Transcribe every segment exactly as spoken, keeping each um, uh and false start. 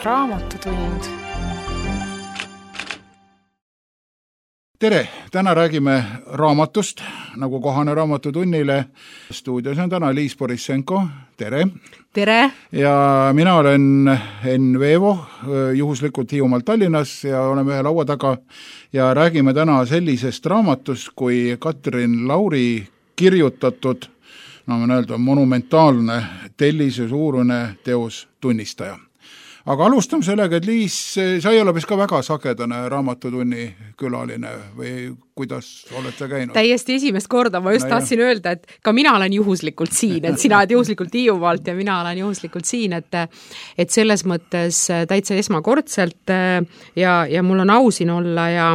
Raamatutund. Tere! Täna räägime raamatust, nagu kohane raamatutunnile. Stuudios on täna Liis Borissenko. Tere! Tere! Ja mina olen Enn Veevo, juhuslikult Hiiumaalt Tallinnas ja oleme ühe laua taga ja räägime täna sellisest raamatust kui Katrin Lauri kirjutatud, no ma öelda, monumentaalne tellise suurune teos Tunnistaja. Aga alustame sellega, et Liis, sa ei ole vist ka väga sagedane raamatutunni külaline või kuidas olete käinud? Täiesti esimest korda, ma just no tahtsin jah. öelda, et ka mina olen juhuslikult siin, et sina oled juhuslikult Hiiumaalt ja mina olen juhuslikult siin, et, et selles mõttes täitsa esmakordselt ja, ja mul on au siin olla ja,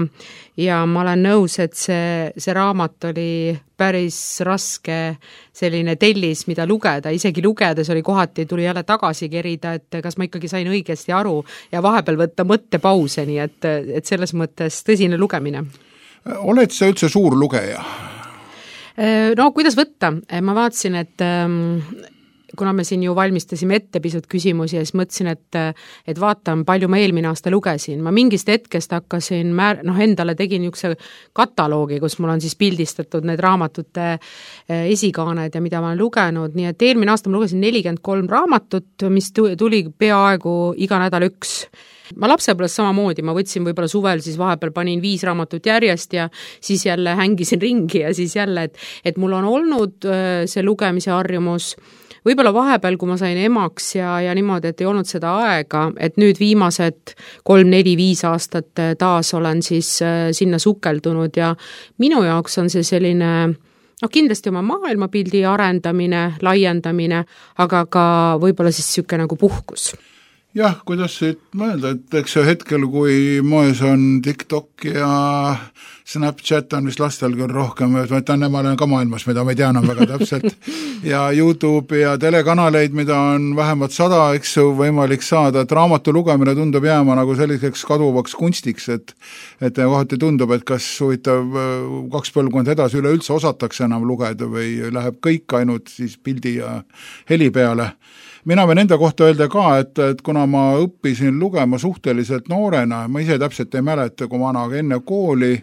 ja ma olen nõus, et see, see raamat oli päris raske selline tellis, mida lugeda, isegi lugedes oli kohati, tuli jälle tagasi kerida, et kas ma ikkagi sain õigesti aru ja vahepeal võtta mõttepause, nii et, et selles mõttes tõsine lugemine. Oled sa üldse suur lugeja? No kuidas võtta? Ma vaatasin, et kuna me siin ju valmistasime ette pisut küsimusi ja siis mõtlesin, et, et vaatan, palju ma eelmine aasta lugesin. Ma mingist hetkest hakkasin, määr, noh endale tegin niisuguse kataloogi, kus mul on siis pildistatud need raamatute esikaaned ja mida ma olen lugenud, nii et eelmine aasta ma lugesin nelikümmend kolm raamatut, mis tuli peaaegu iga nädal üks. Ma lapsepõlves samamoodi, ma võtsin võib-olla suvel, siis vahepeal panin viis raamatut järjest ja siis jälle hängisin ringi ja siis jälle, et, et mul on olnud see lugemise harjumus. Võib-olla vahepeal, kui ma sain emaks ja, ja niimoodi, et ei olnud seda aega, et nüüd viimased kolm, neli, viis aastat taas olen siis sinna sukeldunud ja minu jaoks on see selline, noh kindlasti oma maailmapildi arendamine, laiendamine, aga ka võib-olla siis siuke nagu puhkus. Jah, kuidas siit mõelda, et eks see hetkel, kui moes on TikTok ja Snapchat on vist lastel küll rohkem, et nemad on ka maailmas, mida me ei tea enam väga täpselt, ja YouTube ja telekanaleid, mida on vähemalt sada, eks võimalik saada, et raamatu lugemine tundub jääma nagu selliseks kaduvaks kunstiks, et, et kohati tundub, et kas huvitav kaks põlvkond edasi üleüldse osatakse enam lugeda või läheb kõik ainult siis pildi ja heli peale. Mina võin enda kohta öelda ka, et, et kuna ma õppisin lugema suhteliselt noorena, ma ise täpselt ei mäleta, kui vana, aga enne kooli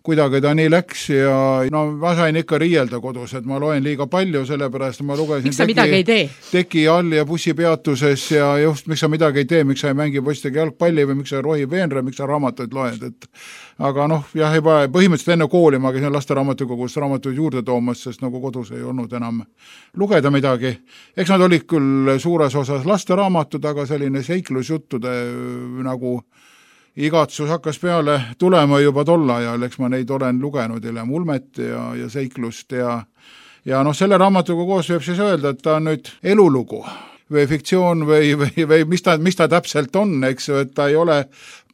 kuidagi ta nii läks ja no ma sain ikka riielda kodus, et ma loen liiga palju, sellepärast ma lugesin miks sa midagi ei tee? Teki all ja bussipeatuses ja just miks sa midagi ei tee, miks sa ei mängi poistega jalgpalli või miks sa rohi veenra, miks sa raamatuid loed, et aga noh, jah, juba põhimõtteliselt enne kooli ma käisin laste raamatukogus raamatuid juurde toomas, sest nagu kodus ei olnud enam lugeda midagi. Eks nad olid küll suures osas laste raamatud, aga selline seiklusjuttude nagu igatsus hakkas peale tulema juba tol ajal, eks ma neid olen lugenud hiljem Ulmet ja, ja seiklust ja, ja noh, selle raamatuga koos võib siis öelda, et ta on nüüd elulugu või fiktsioon või, või, või mis ta, mis ta täpselt on, eks ju, et ta ei ole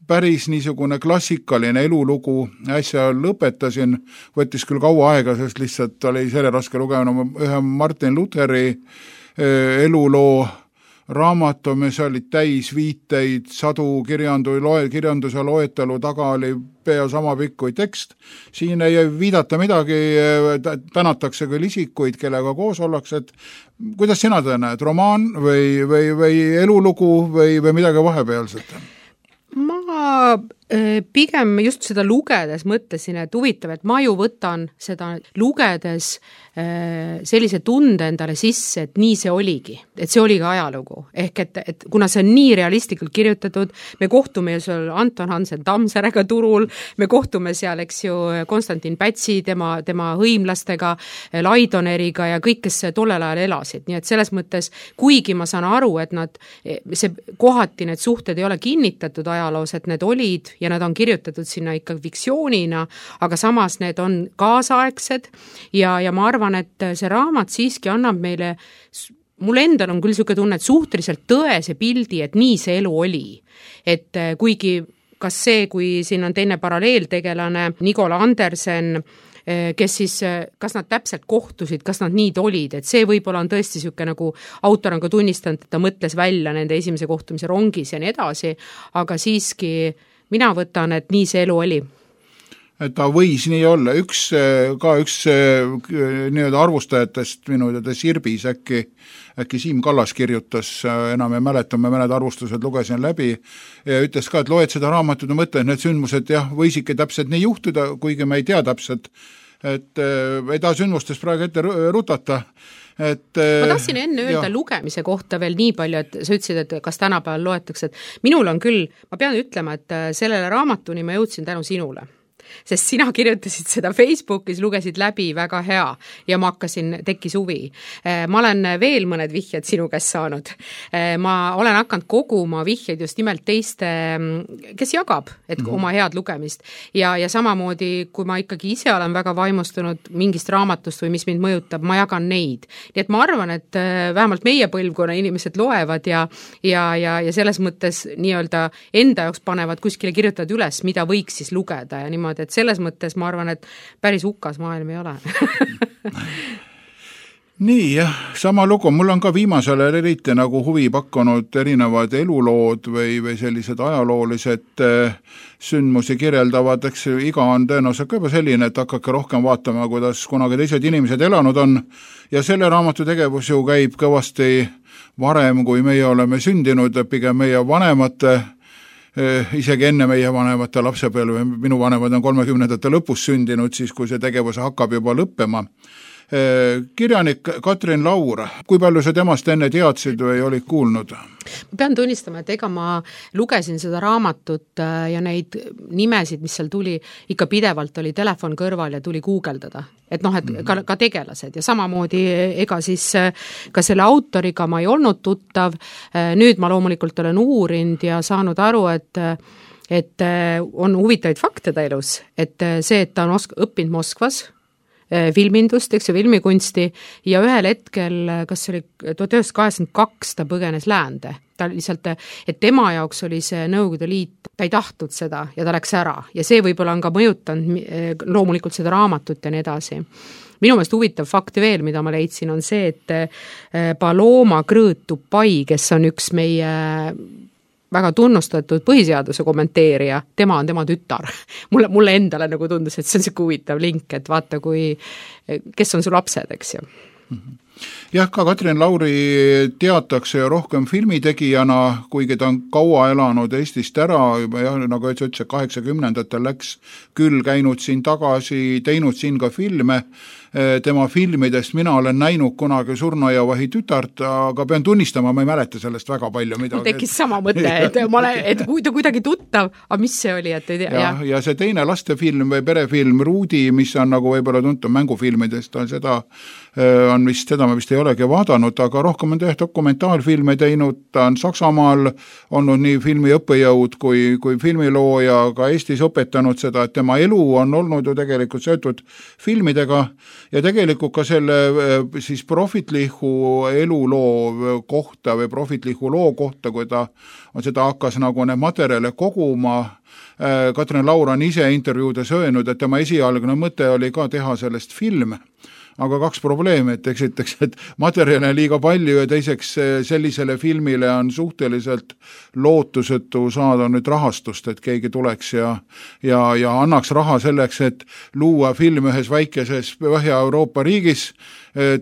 päris niisugune klassikaline elulugu, äsja lõpetasin, võttis küll kaua aega, sest lihtsalt oli selle raske lugema ühe Martin Lutheri eluloo raamatu, mis oli täis viiteid, sadu kirjandu, loe, kirjanduse loetelu taga oli pea sama pikk kui tekst. Siin ei viidata midagi, tänatakse küll isikuid, kellega koos ollakse, et kuidas sina ta näed, romaan või, või, või elulugu või, või midagi vahepealset? Ma pigem just seda lugedes mõtlesin, et huvitav, et ma ju võtan seda lugedes sellise tunde endale sisse, et nii see oligi, et see oli ka ajalugu. Ehk et, et kuna see on nii realistlikult kirjutatud, me kohtume ju seal Anton Hansen Tammsaarega turul, me kohtume seal, eks ju, Konstantin Pätsi, tema, tema hõimlastega, Laidoneriga ja kõik, kes tollel ajal elasid. Nii et selles mõttes, kuigi ma saan aru, et nad, see kohati need suhted ei ole kinnitatud ajaloos, et need olid ja nad on kirjutatud sinna ikka fiktsioonina, aga samas need on kaasaegsed ja, ja ma arvan, et see raamat siiski annab meile, mul endal on küll selline tunne, et suhteliselt tõese pildi, et nii see elu oli. Et kuigi kas see, kui siin on teine paralleeltegelane Nicola Andersen, kes siis, kas nad täpselt kohtusid, kas nad nii olid, et see võib-olla on tõesti selline nagu autor on ka tunnistanud, et ta mõtles välja nende esimese kohtumise rongis ja nii edasi, aga siiski mina võtan, et nii see elu oli. et ta võis nii olla, üks, ka üks nii-öelda arvustajatest minu teada Sirbis äkki, äkki Siim Kallas kirjutas, enam ei mäleta, ma mõned arvustused lugesin läbi ja ütles ka, et loed seda raamatut ja mõtled, need sündmused jah, võisidki täpselt nii juhtuda, kuigi me ei tea täpselt, et ei taha sündmustest praegu ette rutata. Et, ma tahtsin enne öelda ja. Lugemise kohta veel nii palju, et sa ütlesid, et kas tänapäeval loetakse, et minul on küll, ma pean ütlema, et sellele raamatuni ma jõudsin tänu sinule. Sest sina kirjutasid seda Facebookis, lugesid läbi, väga hea ja ma hakkasin, tekkis huvi. Ma olen veel mõned vihjed sinu käest saanud. Ma olen hakanud koguma vihjeid just nimelt teiste, kes jagab et mm-hmm. oma head lugemist ja, ja samamoodi, kui ma ikkagi ise olen väga vaimustunud mingist raamatust või mis mind mõjutab, ma jagan neid. Nii et ma arvan, et vähemalt meie põlvkonna inimesed loevad ja, ja, ja, ja selles mõttes nii-öelda enda jaoks panevad kuskile, kirjutavad üles, mida võiks siis lugeda ja niimoodi, et selles mõttes ma arvan, et päris hukas maailm ei ole. Nii jah, sama lugu, mul on ka viimasel eriti nagu huvi pakkunud erinevad elulood või, või sellised ajaloolised sündmusi kirjeldavad, eks iga on tõenäoliselt ka juba selline, et hakake rohkem vaatama, kuidas kunagi teised inimesed elanud on ja selle raamatu tegevus ju käib kõvasti varem, kui meie oleme sündinud, pigem meie vanemate isegi enne meie vanemate lapsepõlve, minu vanemad on kolmekümnendate lõpus sündinud, siis kui see tegevus hakkab juba lõppema. Kirjanik Katrin Laur, kui palju sa temast enne teadsid või olid kuulnud? Ma pean tunnistama, et ega ma lugesin seda raamatut ja neid nimesid, mis seal tuli, ikka pidevalt oli telefon kõrval ja tuli guugeldada. Et noh, et ka, ka tegelased ja samamoodi ega siis ka selle autoriga ma ei olnud tuttav. Nüüd ma loomulikult olen uurinud ja saanud aru, et et on huvitavaid fakte ta elus, et see, et ta on osk- õppinud Moskvas, filmindust, eks ju, filmikunsti ja ühel hetkel, kas oli tuhat üheksasada kaheksakümmend kaks, ta põgenes läände. Ta lihtsalt, et tema jaoks oli see Nõukogude Liit, ta ei tahtnud seda ja ta läks ära ja see võib-olla on ka mõjutanud loomulikult seda raamatut ja nii edasi. Minu meelest huvitav fakt veel, mida ma leidsin, on see, et Paloma Krõõt-Tupai, kes on üks meie väga tunnustatud põhiseaduse kommenteerija, tema on tema tütar. Mulle, mulle endale nagu tundus, et see on siuke huvitav link, et vaata, kui, kes on su lapsed, eks ju. Jah, ka Katrin Lauri teatakse rohkem filmitegijana, kuigi ta on kaua elanud Eestist ära, juba jah, nagu ütles, kaheksakümnendatel läks küll käinud siin tagasi, teinud siin ka filme. Tema filmidest mina olen näinud kunagi Surnajavahi tütart, aga pean tunnistama, ma ei mäleta sellest väga palju midagi. Mul tekkis sama mõte, et, ma olen, et kui ta kuidagi tuttav, aga mis see oli, et ei tea. Ja, ja see teine lastefilm või perefilm Ruudi, mis on nagu võib-olla tuntud mängufilmidest, on seda, on vist, seda ma vist ei olegi vaadanud, aga rohkem on tehtud dokumentaalfilme teinud, ta on Saksamaal olnud nii filmi õppejõud kui, kui filmilooja, ka Eestis õpetanud seda, et tema elu on olnud ju tegelikult seotud filmidega ja tegelikult ka selle siis profitlihu eluloo kohta või profitlihu loo kohta, kui ta on seda hakkas nagu need materjale koguma. Katrin Laur on ise intervjuudes öelnud, et tema esialgne mõte oli ka teha sellest film, aga kaks probleemi, et eksiteks, et materjale on liiga palju ja teiseks sellisele filmile on suhteliselt lootusetu saada nüüd rahastust, et keegi tuleks ja, ja, ja annaks raha selleks, et luua film ühes väikeses Põhja-Euroopa riigis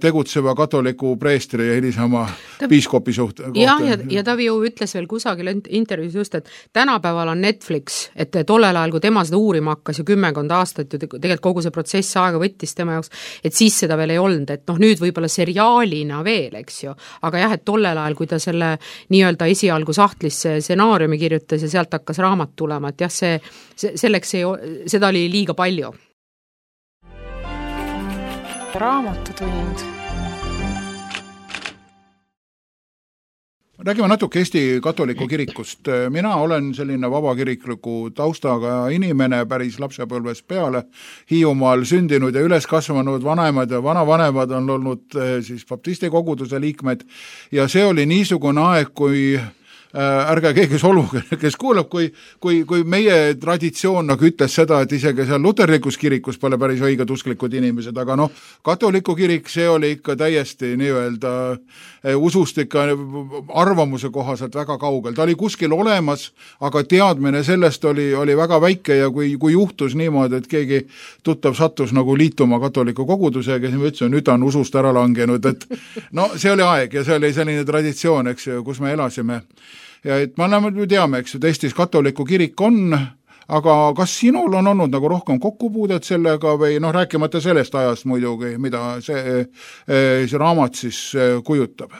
tegutseva katoliku preestri ja hilisema ta, piiskopi suht. Jah, ja, ja ta ju ütles veel kusagil intervjuus just, et tänapäeval on Netflix, et tollel ajal, kui tema seda uurima hakkas ju kümmekond aastat, ju tegelikult kogu see protsess aega võttis tema jaoks, et siis seda veel ei olnud, et noh, nüüd võib-olla seriaalina veel, eks ju, aga jah, et tollel ajal, kui ta selle nii-öelda esialgu sahtlisse stsenaariumi kirjutas ja sealt hakkas raamat tulema, et jah, see, see selleks ei, seda oli liiga palju. Raamatutund. Räägime natuke Eesti katoliku kirikust. Mina olen selline vabakirikliku taustaga inimene päris lapsepõlves peale. Hiiumaal sündinud ja üles kasvanud vanemad ja vanavanemad on olnud siis baptisti koguduse liikmed ja see oli niisugune aeg, kui ärge keegi solvuge, kes kuulab, kui, kui, kui meie traditsioon nagu ütles seda, et isegi seal luterlikus kirikus pole päris õiged usklikud inimesed, aga noh, katoliku kirik, see oli ikka täiesti nii-öelda usust ikka arvamuse kohaselt väga kaugel. Ta oli kuskil olemas, aga teadmine sellest oli, oli väga väike ja kui, kui juhtus niimoodi, et keegi tuttav sattus nagu liituma katoliku kogudusega, siis ma ütlesin, nüüd on usust ära langenud, et no see oli aeg ja see oli selline traditsioon, eks ju, kus me elasime. Ja et me oleme, teame, eks, et Eestis katoliku kirik on, aga kas sinul on olnud nagu rohkem kokkupuudet sellega või noh, rääkimata sellest ajast muidugi, mida see, see raamat siis kujutab?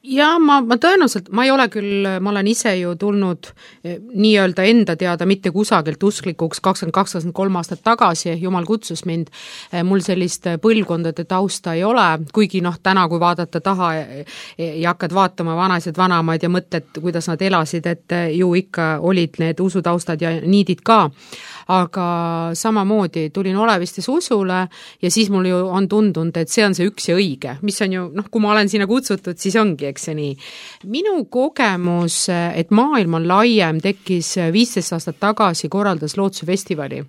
Ja ma, ma tõenäoliselt, ma ei ole küll, ma olen ise ju tulnud nii-öelda enda teada mitte kusagilt usklikuks kakskümmend kaks kakskümmend kolm aastat tagasi, jumal kutsus mind, mul sellist põlvkondade tausta ei ole, kuigi noh, täna kui vaadata taha ja hakkad vaatama vanaised vanamaid ja mõtled, kuidas nad elasid, et ju ikka olid need usutaustad ja niidid ka, aga samamoodi tulin Olevistes usule ja siis mul ju on tundunud, et see on see üks ja õige, mis on ju, noh, kui ma olen sinna kutsutud, siis ongi, eks see nii. Minu kogemus, et maailm on laiem, tekkis viisteist aastat tagasi, korraldas Lootsuse festivali,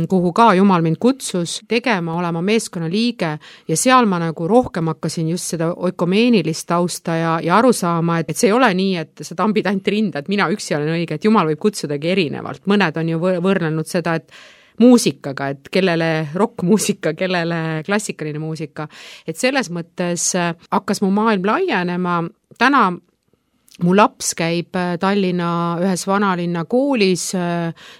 kuhu ka Jumal mind kutsus tegema, olema meeskonna liige ja seal ma nagu rohkem hakkasin just seda ökumeenilist tausta ja, ja aru saama, et, et see ei ole nii, et sa tambid ainult rinda, et mina üksi olen õige, et Jumal võib kutsudagi erinevalt. Mõned on ju võrrelnud seda, et muusikaga, et kellele rockmuusika, kellele klassikaline muusika. Et selles mõttes hakkas mu maailm laienema. Täna mu laps käib Tallinna ühes vanalinna koolis,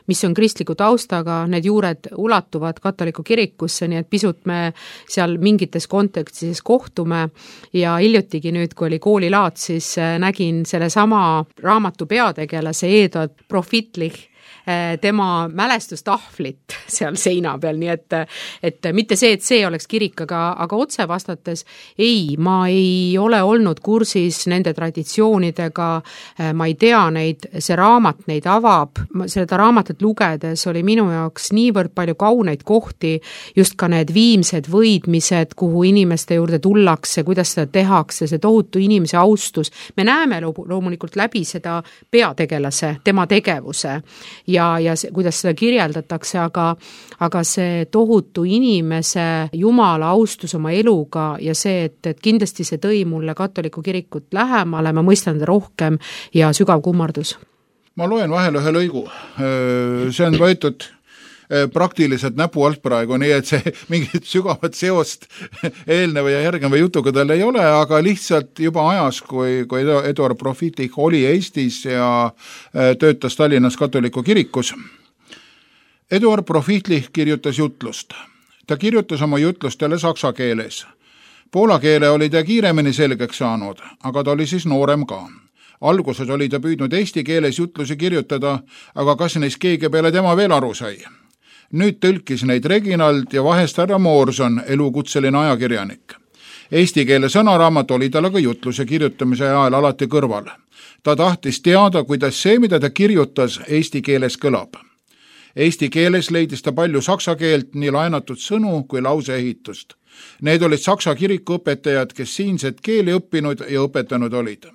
mis on kristliku taustaga, need juured ulatuvad katoliku kirikusse, nii et pisut me seal mingites kontekstis kohtume ja hiljutigi nüüd, kui oli koolilaat, siis nägin selle sama raamatu peategelase Eduard Profitlich, tema mälestustahvlit seal seina peal, nii et, et mitte see, et see oleks kirik, aga, aga otse vastates ei, ma ei ole olnud kursis nende traditsioonidega, ma ei tea neid, see raamat neid avab, seda raamatut lugedes oli minu jaoks niivõrd palju kauneid kohti, just ka need viimsed võidmised, kuhu inimeste juurde tullakse, kuidas seda tehakse, see tohutu inimese austus, me näeme loomulikult läbi seda peategelase, tema tegevuse ja ja, ja see, kuidas seda kirjeldatakse, aga, aga see tohutu inimese Jumala austus oma eluga ja see, et, et kindlasti see tõi mulle katoliku kirikut lähemale, ma mõistan seda rohkem ja sügav kummardus. Ma loen vahel ühe lõigu. See on võetud praktiliselt näpu alt praegu, nii et see mingit sügavat seost eelneva ja järgneva jutuga tal ei ole, aga lihtsalt juba ajas, kui, kui Eduard Profitlich oli Eestis ja töötas Tallinnas katoliku kirikus. Eduard Profitlich kirjutas jutlust. Ta kirjutas oma jutlustele saksa keeles. Poola keele oli ta kiiremini selgeks saanud, aga ta oli siis noorem ka. Alguses oli ta püüdnud eesti keeles jutlusi kirjutada, aga kas neist keegi peale tema veel aru sai? Nüüd tõlkis neid Reginald ja vahest härra Moorson, elukutseline ajakirjanik. Eesti keele sõnaraamat oli tal aga jutluse kirjutamise ajal alati kõrval. Ta tahtis teada, kuidas see, mida ta kirjutas, eesti keeles kõlab. Eesti keeles leidis ta palju saksa keelt, nii laenatud sõnu kui lauseehitust. Need olid saksa kirikuõpetajad, kes siinset keeli õppinud ja õpetanud olid.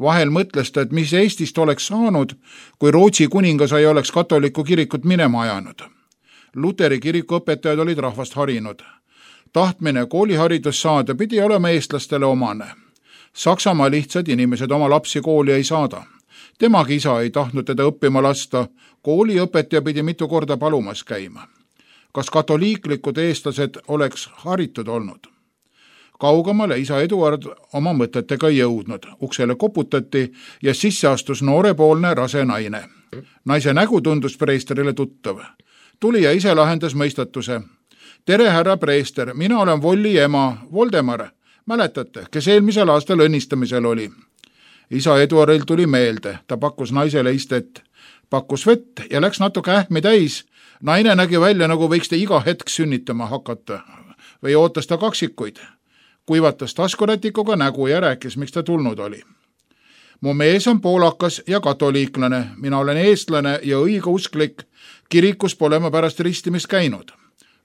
Vahel mõtles ta, et mis Eestist oleks saanud, kui Rootsi kuningas ei oleks katoliku kirikut minema ajanud. Luteri kirikuõpetajad olid rahvast harinud. Tahtmine kooliharidus saada pidi olema eestlastele omane. Saksamaa lihtsad inimesed oma lapsi kooli ei saada. Temagi isa ei tahtnud teda õppima lasta, kooliõpetaja pidi mitu korda palumas käima. Kas katoliiklikud eestlased oleks haritud olnud? Kaugemale isa Eduard oma mõtetega jõudnud. Uksele koputati ja sisse astus noorepoolne rase naine. Naise nägu tundus preesterile tuttav. Tuli ja ise lahendas mõistatuse. Tere, härra preester, mina olen Volli ema, Voldemar. Mäletate, kes eelmisel aastal õnnistamisel oli? Isa Eduardil tuli meelde, ta pakkus naisele istet. Pakkus vett ja läks natuke ähmi täis. Naine nägi välja, nagu võiks ta iga hetk sünnitama hakata. Või ootas ta kaksikuid. Kuivatas taskurätikuga nägu ja rääkis, miks ta tulnud oli. Mu mees on poolakas ja katoliiklane. Mina olen eestlane ja õigeusklik. Kirikus pole ma pärast ristimist käinud.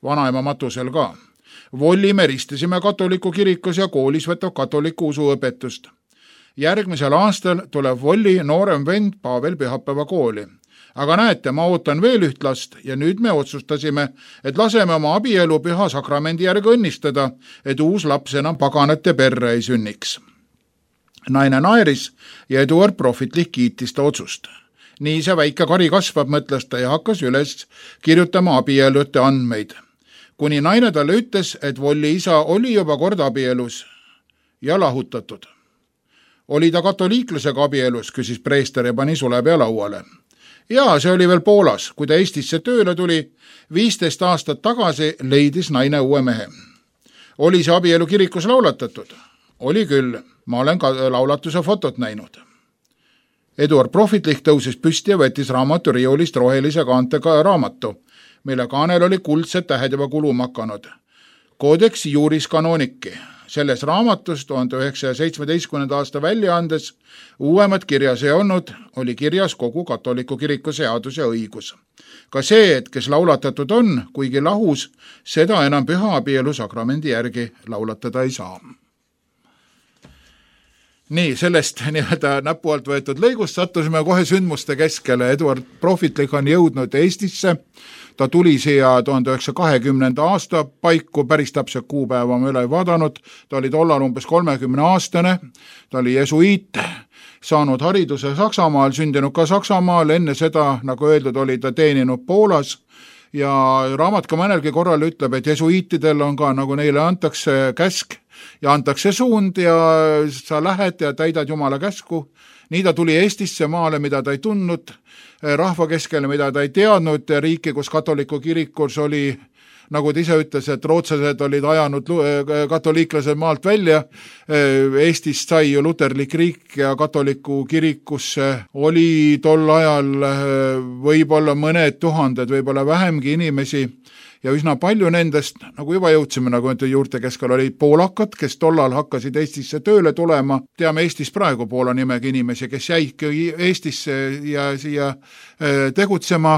Vanaema matusel ka. Volli me ristisime katoliku kirikus ja koolis võtab katoliku usuõpetust. järgmisel aastal tuleb Volli noorem vend Pavel pühapäeva kooli. Aga näete, ma ootan veel üht last ja nüüd me otsustasime, et laseme oma abielu püha sakramendi järgi õnnistada, et uus laps enam paganate perre ei sünniks. Naine naeris ja Eduard prohvetlik kiitis ta otsust. Nii see väike kari kasvab, mõtles ta ja hakkas üles kirjutama abielute andmeid. Kuni naine talle ütles, et Volli isa oli juba kord abielus ja lahutatud. Oli ta katoliiklasega abielus, küsis preester ja pani sulepea lauale. Jaa, see oli veel Poolas, kui ta Eestisse tööle tuli, viisteist aastat tagasi leidis naine uue mehe. Oli see abielu kirikus laulatatud? Oli küll, ma olen ka laulatuse fotot näinud. Eduard prohvetlik tõusis püsti ja võttis raamatu riiulist rohelise kaantega raamatu, mille kaanel oli kuldsed tähed juba kuluma hakanud. Codex Juris Canonici. Selles raamatus tuhande üheksasaja seitsmeteistkümnenda aasta väljaandes uuemat kirjas ei olnud, oli kirjas kogu katoliku kiriku seadus ja õigus. Ka see, et kes laulatatud on, kuigi lahus, seda enam püha abielu sakramendi järgi laulatada ei saa. Nii, sellest nii-öelda näpu alt võetud lõigust sattusime kohe sündmuste keskele. Eduard prohvetlik on jõudnud Eestisse. Ta tuli siia tuhande üheksasaja kahekümnenda aasta paiku, päris täpselt kuupäeva ma üle ei vaadanud. Ta oli tollal umbes kolmekümne aastane. Ta oli jesuiit, saanud hariduse Saksamaal, sündinud ka Saksamaal. Enne seda, nagu öeldud, oli ta teeninud Poolas. Ja raamat ka mõnelgi korral ütleb, et jesuiitidel on ka, nagu neile antakse käsk ja antakse suund ja sa lähed ja täidad Jumala käsku. Nii ta tuli Eestisse maale, mida ta ei tundnud, rahva keskele, mida ta ei teadnud, riiki, kus katoliku kirikus oli, nagu ta ise ütles, et rootslased olid ajanud katoliiklased maalt välja. Eestist sai ju luterlik riik ja katoliku kirikusse oli tol ajal võib-olla mõned tuhanded, võib-olla vähemgi inimesi. Ja üsna palju nendest, nagu juba jõudsime, nagu juurte keskel olid poolakad, kes tollal hakkasid Eestisse tööle tulema. Teame Eestis praegu Poola nimega inimesi, kes jäidki Eestisse ja siia tegutsema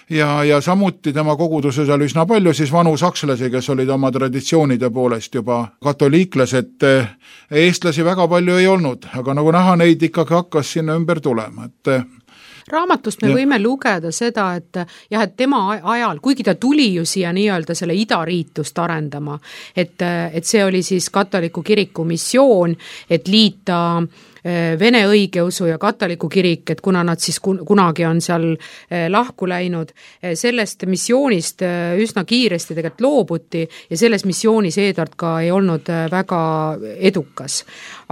ja, ja samuti tema koguduses oli üsna palju siis vanu sakslasi, kes olid oma traditsioonide poolest juba katoliiklased. Eestlasi väga palju ei olnud, aga nagu näha, neid ikkagi hakkas sinna ümber tulema, et raamatust me ja. võime lugeda seda, et jah, et tema ajal, kuigi ta tuli ju siia nii-öelda selle idariitust arendama, et, et see oli siis katoliku kiriku missioon, et liita Vene õigeusu ja katoliku kirik, et kuna nad siis kunagi on seal lahku läinud, sellest missioonist üsna kiiresti tegelikult loobuti ja selles missioonis Eduard ka ei olnud väga edukas.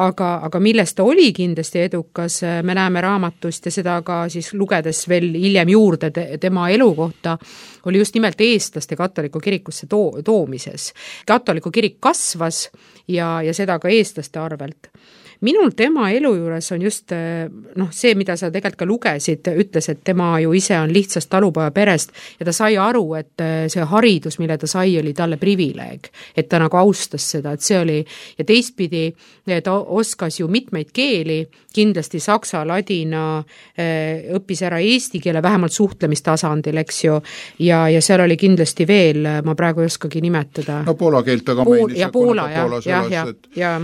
Aga, aga millest ta oli kindlasti edukas, me näeme raamatust ja seda ka siis lugedes veel hiljem juurde tema elu kohta, oli just nimelt eestlaste katoliku kirikusse to- toomises. Katoliku kirik kasvas ja, ja seda ka eestlaste arvelt. Minul tema elu juures on just noh, see, mida sa tegelikult ka lugesid, ütles, et tema ju ise on lihtsast talupoja perest ja ta sai aru, et see haridus, mille ta sai, oli talle privileeg, et ta nagu austas seda, et see oli ja teistpidi ta oskas ju mitmeid keeli, kindlasti saksa, ladina, õppis ära eesti keele, vähemalt suhtlemistasandil, eks ju, ja, ja seal oli kindlasti veel, ma praegu ei oskagi nimetada. No poola keelt aga Pool, mainis. Ja poola, ja, ja, ja, ja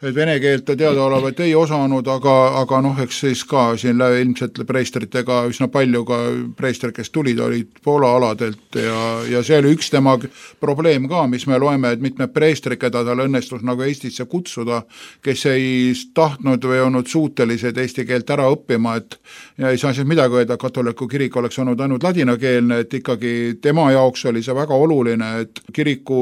et vene keelt ta teadaolevat ei osanud, aga, aga noh, eks siis ka siin ilmselt preestritega üsna palju ka preester, kes tulid, olid Poola aladelt ja, ja see oli üks tema probleem ka, mis me loeme, et mitmed preestrid, keda tal õnnestus nagu Eestisse kutsuda, kes ei tahtnud või olnud suutelised eesti keelt ära õppima, et ja ei saa siis midagi öelda, katoliku kirik oleks olnud ainult ladinakeelne, et ikkagi tema jaoks oli see väga oluline, et kiriku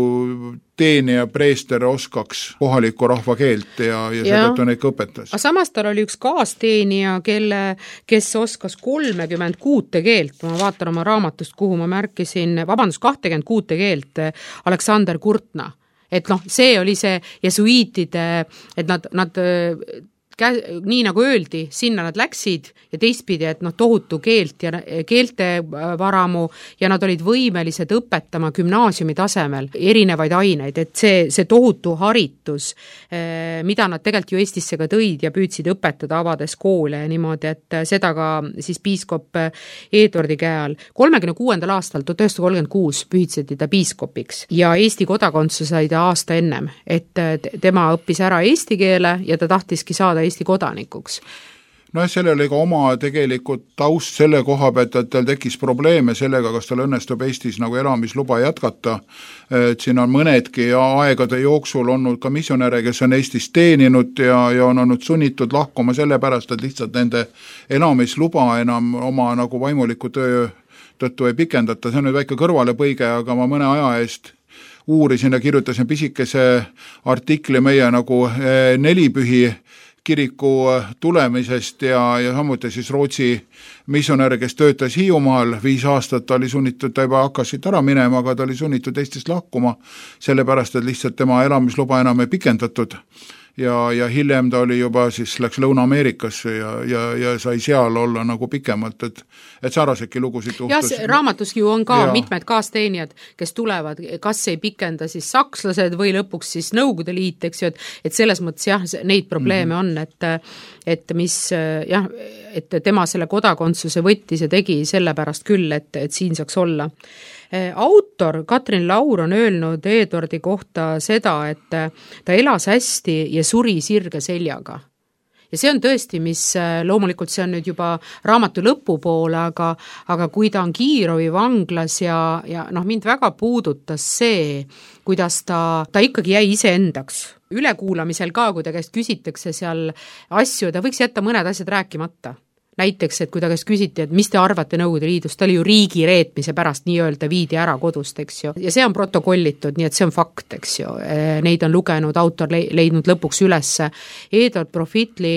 teenija preester oskaks kohaliku rahva keelt ja, ja, ja seetõttu neid ka õpetas. Aga samas tal oli üks kaasteenija, kelle, kes oskas kolmekümmend kuute keelt, ma vaatan oma raamatust, kuhu ma märkisin, vabandust, kakskümmend kuute keelt, Aleksander Kurtna. Et noh, see oli see jesuiitide, et nad, nad Kä- nii nagu öeldi, sinna nad läksid ja teistpidi, et noh, tohutu keelt ja keelte varamu ja nad olid võimelised õpetama gümnaasiumi tasemel erinevaid aineid, et see, see tohutu haritus, mida nad tegelikult ju Eestisse ka tõid ja püüdsid õpetada avades koole ja niimoodi, et seda ka siis piiskop Eduardi käe all. kolmekümne kuuendal aastal, tuhat üheksasada kolmkümmend kuus pühitseti ta piiskopiks ja Eesti kodakondsus sai ta aasta ennem, et tema õppis ära eesti keele ja ta tahtiski saada Eesti kodanikuks. noh, sellel oli ka oma tegelikult taust selle koha pealt, et tal tekkis probleeme sellega, kas tal õnnestub Eestis nagu elamisluba jätkata, et siin on mõnedki aegade jooksul olnud ka missionäre, kes on Eestis teeninud ja, ja on olnud sunnitud lahkuma sellepärast, et lihtsalt nende elamisluba enam oma nagu vaimuliku töö tõttu ei pikendata. See on nüüd väike kõrvalepõige, aga ma mõne aja eest uurisin ja kirjutasin pisikese artikli meie nagu nelipühi kiriku tulemisest ja, ja samuti siis Rootsi missionär, kes töötas Hiiumaal viis aastat, ta oli sunnitud, ta juba hakkas siit ära minema, aga ta oli sunnitud Eestist lahkuma, sellepärast, et lihtsalt tema elamisluba enam ei pikendatud. Ja, ja hiljem ta oli juba siis läks Lõuna-Ameerikasse ja, ja, ja sai seal olla nagu pikemalt, et, et sarnasedki lugusid tuhtus. Ja raamatus ju on ka ja. mitmed kaasteenijad, kes tulevad, kas ei pikenda siis sakslased või lõpuks siis Nõukogude Liit, eks ju, et, et selles mõttes jah, neid probleeme mm-hmm. on, et, et mis jah, et tema selle kodakondsuse võttis ja tegi sellepärast küll, et, et siin saaks olla. Autor Katrin Laur on öelnud Eduardi kohta seda, et ta elas hästi ja suri sirge seljaga. Ja see on tõesti, mis loomulikult see on nüüd juba raamatu lõpupoole, aga, aga kui ta on Kiirovi vanglas ja, ja noh, mind väga puudutas see, kuidas ta, ta ikkagi jäi iseendaks. Ülekuulamisel ka, kui ta käest küsitakse seal asju, ta võiks jätta mõned asjad rääkimata. Näiteks, et kui ta käest küsiti, et mis te arvate Nõukogude Liidust, ta oli ju riigi reetmise pärast nii-öelda viidi ära kodust, eks ju. Ja see on protokollitud, nii et see on fakt, eks ju. Neid on lugenud, autor leidnud lõpuks ülesse. Eduard Profitli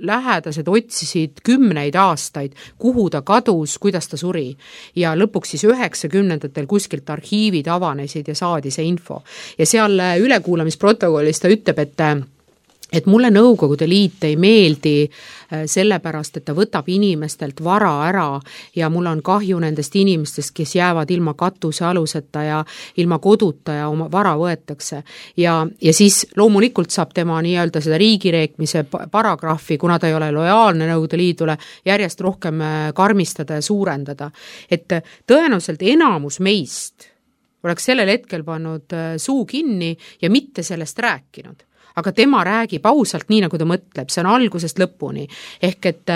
lähedased otsisid kümneid aastaid, kuhu ta kadus, kuidas ta suri. Ja lõpuks siis üheksakümnendatel kuskilt arhiivid avanesid ja saadi see info. Ja seal ülekuulamisprotokollis ta ütleb, et et mulle Nõukogude Liit ei meeldi sellepärast, et ta võtab inimestelt vara ära ja mul on kahju nendest inimestest, kes jäävad ilma katuse aluseta ja ilma koduta ja oma vara võetakse. Ja, ja siis loomulikult saab tema nii-öelda seda riigireekmise paragrahvi, kuna ta ei ole lojaalne Nõukogude Liidule, järjest rohkem karmistada ja suurendada. Et tõenäoliselt enamus meist oleks sellel hetkel pannud suu kinni ja mitte sellest rääkinud. Aga tema räägib ausalt nii, nagu ta mõtleb, see on algusest lõpuni. Ehk et,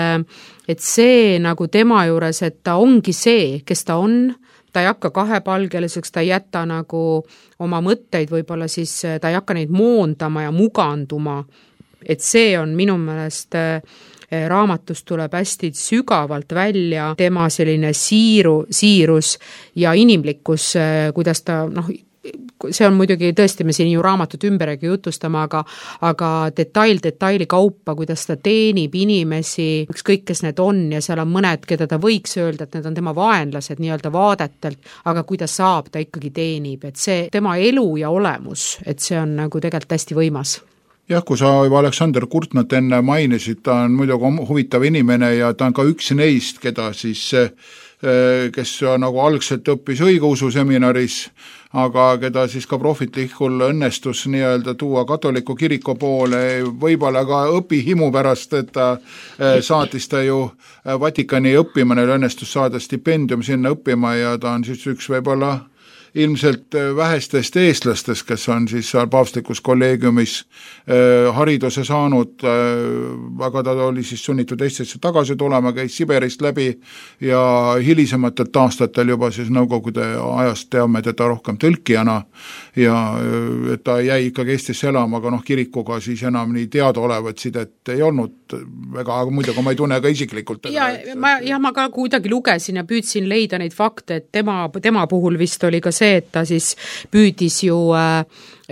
et see nagu tema juures, et ta ongi see, kes ta on, ta ei hakka kahepalgeliseks, ta ei jäta nagu oma mõtteid, võib-olla siis ta ei hakka neid moondama ja muganduma. Et see on minu meelest raamatus tuleb hästi sügavalt välja tema selline siiru, siirus ja inimlikkus, kuidas ta noh, see on muidugi tõesti, me siin ju raamatut ümberegi jutustama, aga, aga detail detaili kaupa, kuidas ta teenib inimesi, ükskõik kes need on ja seal on mõned, keda ta võiks öelda, et need on tema vaenlased nii-öelda vaadetelt, aga kui ta saab, ta ikkagi teenib, et see tema elu ja olemus, et see on nagu tegelikult hästi võimas. Jah, kui sa juba Aleksander Kurtnat enne mainisid, ta on muidugi huvitav inimene ja ta on ka üks neist, keda siis kes nagu algselt õppis õigeusu seminaris, aga keda siis ka Profitlikul õnnestus nii-öelda tuua katoliku kiriku poole, võib-olla ka õpihimu pärast, et ta saatis ta ju Vatikani õppima, neil õnnestus saada stipendium sinna õppima ja ta on siis üks võib-olla ilmselt vähestest eestlastest, kes on siis seal paavstlikus kolleegiumis hariduse saanud, aga ta oli siis sunnitud Eestisse tagasi tulema, käis Siberist läbi ja hilisematelt aastatel juba siis Nõukogude ajast teame teda rohkem tõlkijana ja et ta jäi ikkagi Eestisse elama, aga noh, kirikuga siis enam nii teadaolevat sidet ei olnud väga, aga muidugi ma ei tunne ka isiklikult. Ja, ma, ja ma ka kuidagi lugesin ja püüdsin leida neid fakte, et tema, tema puhul vist oli ka see, et ta siis püüdis ju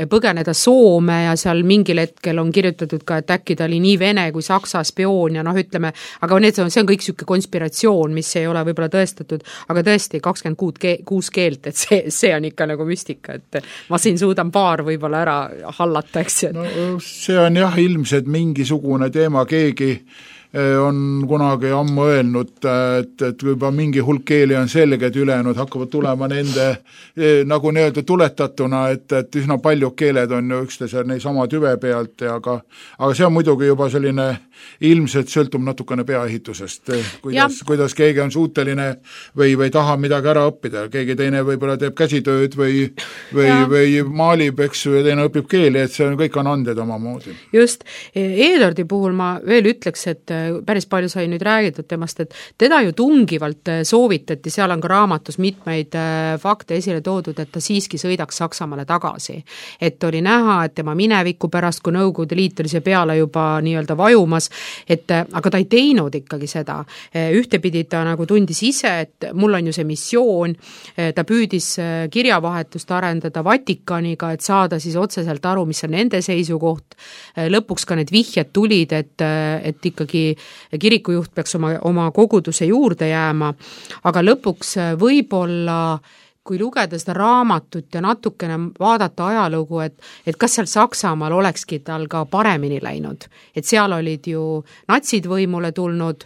põgeneda Soome ja seal mingil hetkel on kirjutatud ka, et äkki ta oli nii vene kui saksa spioon ja noh, ütleme, aga need, see on kõik siuke konspiratsioon, mis ei ole võib-olla tõestatud, aga tõesti kakskümmend kuus keelt, et see, see on ikka nagu müstika, et ma siin suudan paar võib-olla ära hallata, eks ju. No, see on jah ilmselt mingisugune teema, keegi on kunagi ammu öelnud, et, et juba mingi hulk keeli on selge, et ülejäänud hakkavad tulema nende nagu nii-öelda tuletatuna, et, et üsna paljud keeled on ju üksteise neisama tüve pealt, ja aga, aga see on muidugi juba selline ilmselt sõltub natukene peaehitusest, kuidas, kuidas keegi on suuteline või, või tahab midagi ära õppida, keegi teine võib-olla teeb käsitööd või, või, või maalib, eks ju, ja teine õpib keeli, et see on, kõik on anded omamoodi. Just, Eduardi puhul ma veel ütleks, et päris palju sai nüüd räägitud temast, et teda ju tungivalt soovitati, seal on ka raamatus mitmeid fakte esile toodud, et ta siiski sõidaks Saksamaale tagasi. Et oli näha, et tema mineviku pärast, kui Nõukogude Liit oli see peale juba nii-öelda vajumas, et aga ta ei teinud ikkagi seda. Ühtepidi ta nagu tundis ise, et mul on ju see missioon, ta püüdis kirjavahetust arendada Vatikaniga, et saada siis otseselt aru, mis on nende seisukoht. Lõpuks ka need vihjed tulid, et, et ikkagi kirikujuht peaks oma, oma koguduse juurde jääma, aga lõpuks võib-olla kui lugeda seda raamatut ja natukene vaadata ajalugu, et, et kas seal Saksamaal olekski tal ka paremini läinud. Et seal olid ju natsid võimule tulnud,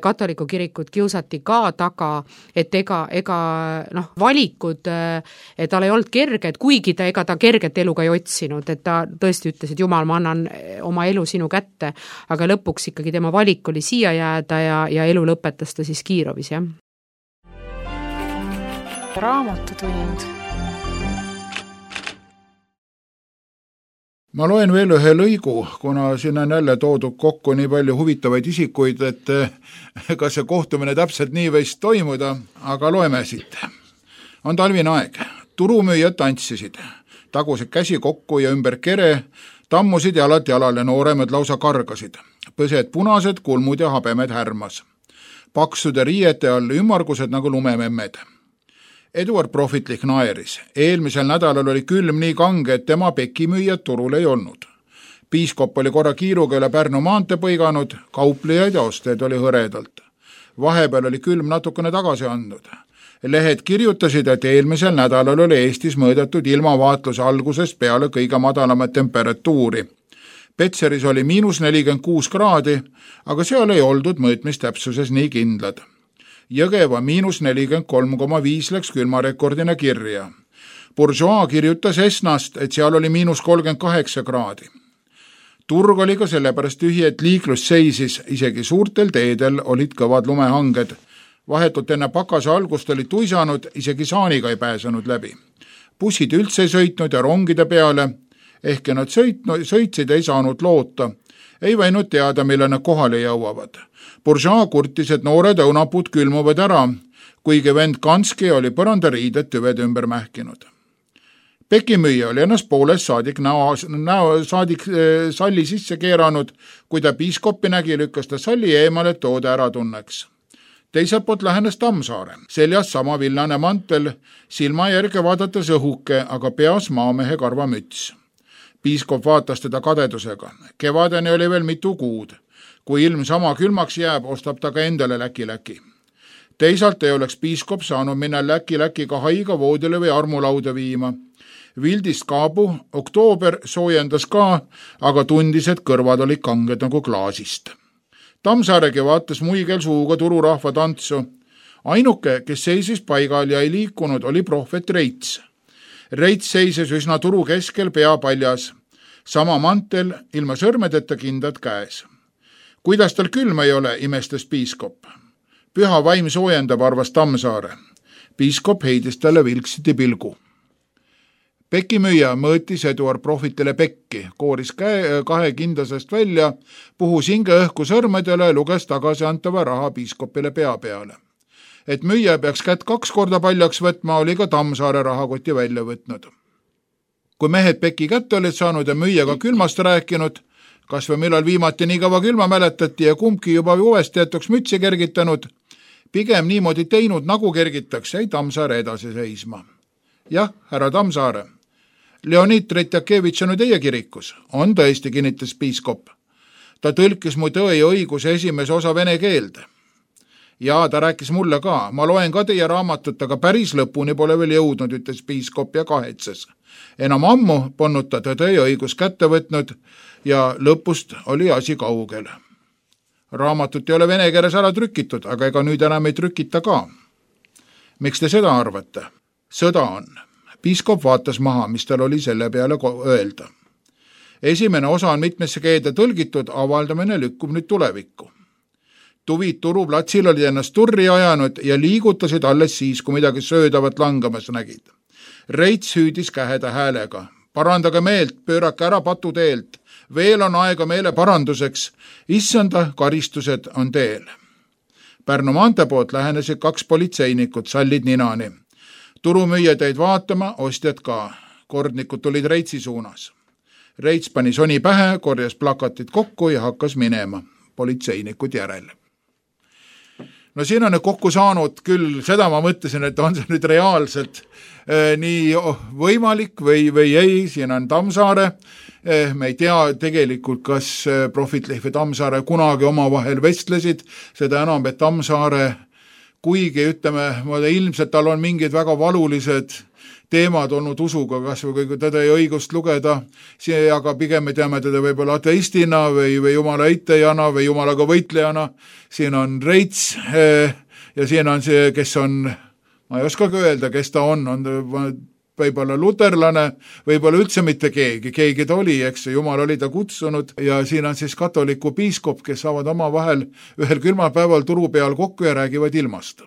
katoliku kirikut kiusati ka taga, et ega, ega noh, valikud, tal ei olnud kerge, et kuigi ta ega ta kerget elu ka ei otsinud, et ta tõesti ütles, et Jumal, ma annan oma elu sinu kätte, aga lõpuks ikkagi tema valik oli siia jääda ja, ja elu lõpetas ta siis Kiirovis, jah. Raamatutund. Ma loen veel ühe lõigu, kuna siin on jälle toodud kokku nii palju huvitavaid isikuid, et ega see kohtumine täpselt nii võis toimuda, aga loeme siit. On talvine aeg. Turumüüjad tantsisid, tagusid käsi kokku ja ümber kere, tammusid jalad jalale, nooremed lausa kargasid. Põsed punased, kulmud ja habemed härmas. Paksude riiete all ümmargused nagu lumememmed. Eduard Prohvitlik naeris. Eelmisel nädalal oli külm nii kange, et tema pekimüüjad turul ei olnud. Piiskop oli korra kiiruga üle Pärnu maante põiganud, kauplejaid ja osteid oli hõredalt. Vahepeal oli külm natukene tagasi andnud. Lehed kirjutasid, et eelmisel nädalal oli Eestis mõõdetud ilmavaatluse algusest peale kõige madalamat temperatuuri. Petseris oli miinus nelikümmend kuus kraadi, aga seal ei oldud mõõtmistäpsuses nii kindlad. Jõgeva miinus nelikümmend kolm koma viis läks külmarekordina kirja. Bourgeois kirjutas Esnast, et seal oli miinus kolmkümmend kaheksa kraadi. Turg oli ka sellepärast tühi, et liiklus seisis, isegi suurtel teedel olid kõvad lumehanged. Vahetult enne pakase algust oli tuisanud, isegi saaniga ei pääsenud läbi. Bussid üldse ei sõitnud ja rongide peale, ehkki nad sõitnud, sõitsid ei saanud loota. Ei võinud teada, mille nad kohale jõuavad. Bourgeois kurtis, et noored õunapuud külmuvad ära, kuigi vend Kanski oli põrandariided tüved ümber mähkinud. Pekimüüja oli ennast poolest saadik, näo, näo, saadik äh, salli sisse keeranud, kui ta piiskoppi nägi, lükkas ta salli eemale, et toode ära tunneks. Teiselt poolt lähenes Tammsaare. Seljas sama villane mantel, silma järge vaadates õhuke, aga peas maamehe karvamüts. Piiskop vaatas teda kadedusega. Kevadeni oli veel mitu kuud. Kui ilm sama külmaks jääb, ostab ta ka endale läki-läki. Teisalt ei oleks piiskop saanud minna läki-läki ka haiga voodile või armulauda viima. Vildist kaabu, oktoober soojendas ka, aga tundis, et kõrvad olid kanged nagu klaasist. Tammsaaregi vaatas muigel suuga tururahva tantsu. Ainuke, kes seisis paigal ja ei liikunud, oli prohvet Reits. Reits seises üsna turu keskel pea paljas. Sama mantel, ilma sõrmedeta kindad käes. Kuidas tal külm ei ole, imestas piiskop. Püha vaim soojendab, arvas Tammsaare. Piiskop heidis talle vilksiti pilgu. Pekimüüja mõõtis Eduard Prohvitile pekki, kooris käe, kahe kindlasest välja, puhus hinge õhku sõrmedele, luges tagasi antava raha piiskopile pea peale. Et müüja peaks kätt kaks korda paljaks võtma, oli ka Tammsaare rahakoti välja võtnud. Kui mehed peki kätte olid saanud ja müüjaga külmast rääkinud, kas või millal viimati nii kõva külma mäletati ja kumbki juba uuesti jätuks mütsi kergitanud, pigem niimoodi teinud, nagu kergitakse, ei Tammsaare edasi seisma. Jah, härra Tammsaare, Leonid Tretjakevitš on teie kirikus. On tõesti, kinnitas piiskop. Ta tõlkis mu Tõe ja õiguse esimese osa vene keelde. Ja ta rääkis mulle ka. Ma loen ka teie raamatut, aga päris lõpuni pole veel jõudnud, ütles piiskop ja kahetses. Enam ammu polnud ta Tõe ja õigus kätte võtnud ja lõpust oli asi kaugel. raamatut ei ole vene keeles ära trükitud, aga ega nüüd enam ei trükita ka. Miks te seda arvate? Sõda on. Piiskop vaatas maha, mis tal oli selle peale öelda. Esimene osa on mitmesse keelde tõlgitud, avaldamine lükkub nüüd tulevikku. Tuvid turuplatsil olid ennast turri ajanud ja liigutasid alles siis, kui midagi söödavat langamas nägid. Reits hüüdis käheda häälega. Parandage meelt, pöörake ära patuteelt. Veel on aega meele paranduseks. Issanda karistused on teel. Pärnu maantee poolt lähenesid kaks politseinikut, sallid ninani. Turumüüja teid vaatama, ostjad ka. Kordnikud tulid Reitsi suunas. Reits pani soni pähe, korjas plakatid kokku ja hakkas minema. Politseinikud järel. No siin on nüüd kokku saanud küll, seda ma mõtlesin, et on see nüüd reaalselt eh, nii võimalik või, või ei, siin on Tammsaare, eh, me ei tea tegelikult, kas Prohvet-Leif ja Tammsaare kunagi omavahel vestlesid, seda enam, et Tammsaare, kuigi ütleme, ilmselt tal on mingid väga valulised teemad olnud usuga, kas või kui teda ei õigust lugeda, aga pigem me teame teda võib-olla ateistina või, või jumala eitejana või jumalaga võitlejana. Siin on Reits ja siin on see, kes on, ma ei oskagi öelda, kes ta on, on võib-olla luterlane, võib-olla üldse mitte keegi, keegi ta oli, eks jumal oli ta kutsunud ja siin on siis katoliku piiskop, kes saavad oma vahel ühel külmal päeval turu peal kokku ja räägivad ilmast.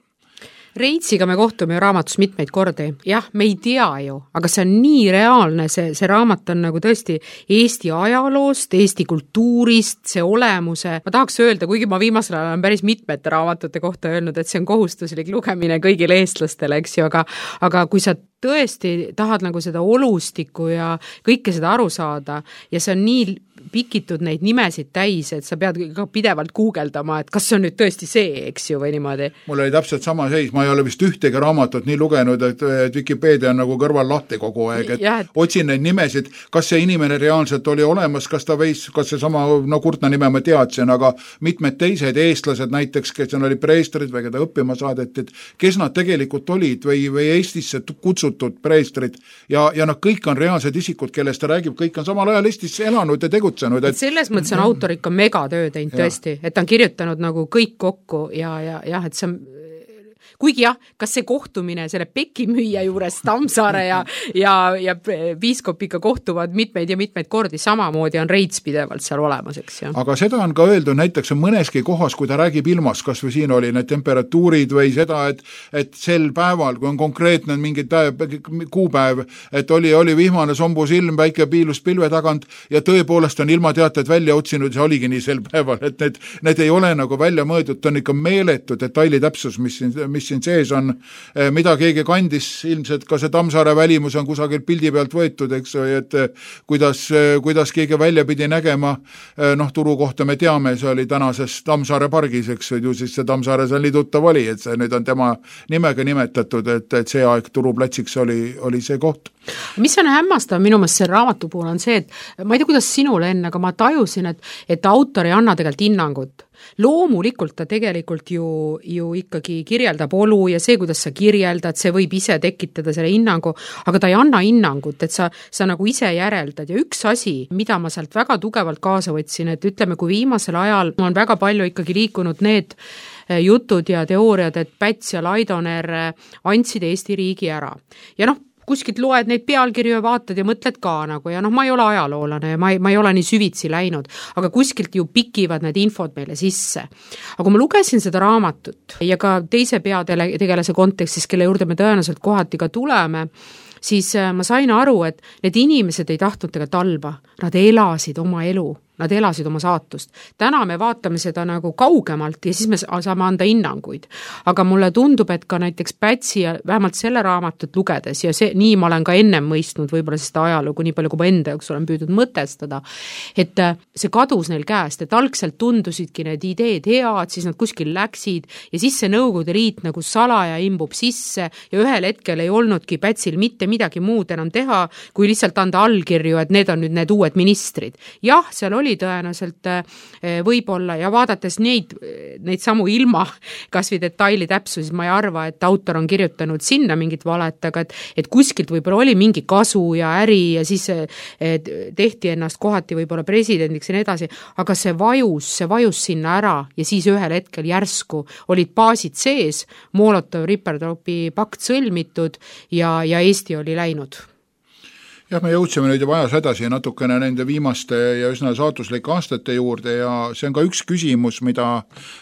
Reitsiga me kohtume ju raamatus mitmeid kordi. Jah, me ei tea ju, aga see on nii reaalne, see, see raamat on nagu tõesti Eesti ajaloost, Eesti kultuurist, see olemuse. Ma tahaks öelda, kuigi ma viimasel ajal olen päris mitmete raamatute kohta öelnud, et see on kohustuslik lugemine kõigile eestlastele, eks ju, aga, aga kui sa tõesti tahad nagu seda olustikku ja kõike seda aru saada ja see on nii pikitud neid nimesid täis, et sa pead ka pidevalt guugeldama, et kas see on nüüd tõesti see, eks ju, või niimoodi. Mul oli täpselt sama seis, ma ei ole vist ühtegi raamatut nii lugenud, et Wikipedia on nagu kõrval lahti kogu aeg, et ja, et... otsin neid nimesid, kas see inimene reaalselt oli olemas, kas ta võis, kas see sama, no Kurtna nime ma teadsin, aga mitmed teised eestlased näiteks, kes on oli preestrid või keda õppima saadetid, kes nad tegelikult olid või, või Eestisse kutsutud preestrid ja, ja nad kõik on reaalsed isikud, kellest ta räägib, kõik on samal ajal Eestisse elanud ja tegutsenud. Et... selles mõttes on autor ikka megatöö teinud tõesti, et ta on kirjutanud nagu kõik kokku ja, ja, ja et see on kuigi jah, kas see kohtumine selle pekimüüja juures Tammsaare ja, ja, ja piiskop ikka kohtuvad mitmeid ja mitmeid kordi, samamoodi on Reits pidevalt seal olemas, eks ju. Aga seda on ka öeldud näiteks mõneski kohas, kui ta räägib ilmast, kas või siin oli need temperatuurid või seda, et, et sel päeval, kui on konkreetne mingi kuupäev, et oli, oli vihmane sombus ilm, väike piilus pilve tagant ja tõepoolest on ilmateated välja otsinud, see oligi nii sel päeval, et need, need ei ole nagu välja mõõdud, ta on ikka meeletu detaili täpsus, mis siin, mis siin sees on, mida keegi kandis, ilmselt ka see Tammsaare välimus on kusagil pildi pealt võetud, eks, et kuidas, kuidas keegi välja pidi nägema, noh, turu kohta me teame, see oli tänases Tammsaare pargis, eks, ju siis see Tammsaare seal nii tuttav oli, et see nüüd on tema nimega nimetatud, et, et see aeg turuplatsiks oli, oli see koht. Mis on hämmastav minu meelest selle raamatu puhul on see, et ma ei tea, kuidas sinule enne, aga ma tajusin, et, et autor ei anna tegelikult hinnangut. Loomulikult ta tegelikult ju, ju ikkagi kirjeldab olu ja see, kuidas sa kirjeldad, see võib ise tekitada selle hinnangu, aga ta ei anna hinnangut, et sa, sa nagu ise järeldad ja üks asi, mida ma sealt väga tugevalt kaasa võtsin, et ütleme, kui viimasel ajal on väga palju ikkagi liikunud need jutud ja teooriad, et Päts ja Laidoner andsid Eesti riigi ära. Ja noh, kuskilt loed neid pealkirju ja vaatad ja mõtled ka nagu ja noh, ma ei ole ajaloolane ja ma ei, ma ei ole nii süvitsi läinud, aga kuskilt ju pikivad need infod meile sisse. Aga ma lugesin seda raamatut ja ka teise peategelase kontekstis, kelle juurde me tõenäoliselt kohati ka tuleme, siis ma sain aru, et need inimesed ei tahtnud tegelikult halba, nad elasid oma elu. Nad elasid oma saatust. Täna me vaatame seda nagu kaugemalt ja siis me saame anda hinnanguid. Aga mulle tundub, et ka näiteks Pätsi ja vähemalt selle raamatut lugedes ja see, nii ma olen ka ennem mõistnud võib-olla seda ajalugu, nii palju kui ma enda jaoks olen püüdnud mõtestada, et see kadus neil käest, et algselt tundusidki need ideed head, siis nad kuskil läksid ja siis see Nõukogude Liit nagu salaja imbub sisse ja ühel hetkel ei olnudki Pätsil mitte midagi muud enam teha, kui lihtsalt anda allkirju, et need on nüüd need uued ministrid. Jah, seal oli tõenäoliselt võib-olla ja vaadates neid, neid samu ilma kas või detaili täpsu, siis ma ei arva, et autor on kirjutanud sinna mingit valet, aga et, et kuskilt võib-olla oli mingi kasu ja äri ja siis tehti ennast kohati võib-olla presidendiks ja nii edasi, aga see vajus, see vajus sinna ära ja siis ühel hetkel järsku olid baasid sees, Molotov-Ribbentropi pakt sõlmitud ja, ja Eesti oli läinud. Jah, me jõudsime nüüd juba ajas edasi natukene nende viimaste ja üsna saatuslike aastate juurde ja see on ka üks küsimus, mida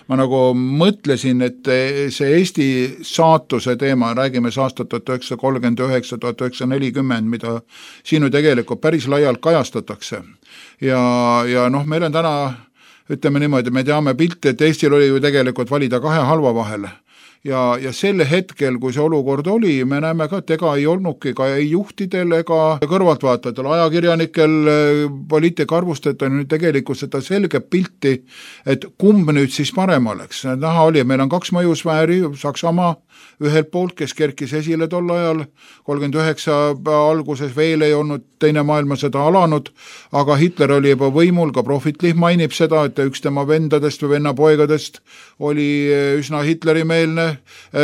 ma nagu mõtlesin, et see Eesti saatuse teema, räägime aastat tuhat üheksasada kolmkümmend üheksa tuhat üheksasada nelikümmend, mida siin ju tegelikult päris laialt kajastatakse. Ja, ja noh, meil on täna, ütleme niimoodi, me teame pilti, et Eestil oli ju tegelikult valida kahe halva vahel. Ja, ja selle hetkel, kui see olukord oli, me näeme ka, et ega ei olnudki ka ei juhtidel ega kõrvaltvaatajatel, ajakirjanikel, poliitikaarvustajatel nüüd tegelikult seda selge pilti, et kumb nüüd siis parem oleks. Näha oli, meil on kaks mõjusfääri, Saksamaa ühelt poolt, kes kerkis esile tol ajal, kolmkümmend üheksa alguses veel ei olnud teine maailmasõda alanud, aga Hitler oli juba võimul, ka Profitlich mainib seda, et üks tema vendadest või vennapoegadest oli üsna Hitlerimeelne,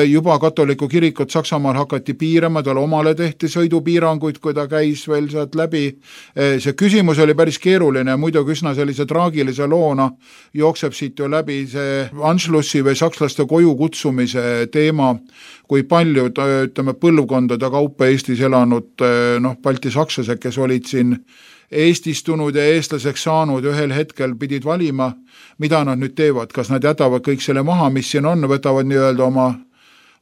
juba katoliku kirikut Saksamaal hakati piirama, tal omale tehti sõidupiiranguid, kui ta käis veel sealt läbi. See küsimus oli päris keeruline ja muidugi üsna sellise traagilise loona jookseb siit ju läbi see Anschlussi või sakslaste koju kutsumise teema, kui palju, ütleme, põlvkondade kaupa Eestis elanud noh, balti sakslased, kes olid siin eestistunud ja eestlaseks saanud, ühel hetkel pidid valima, mida nad nüüd teevad, kas nad jätavad kõik selle maha, mis siin on, võtavad nii-öelda oma,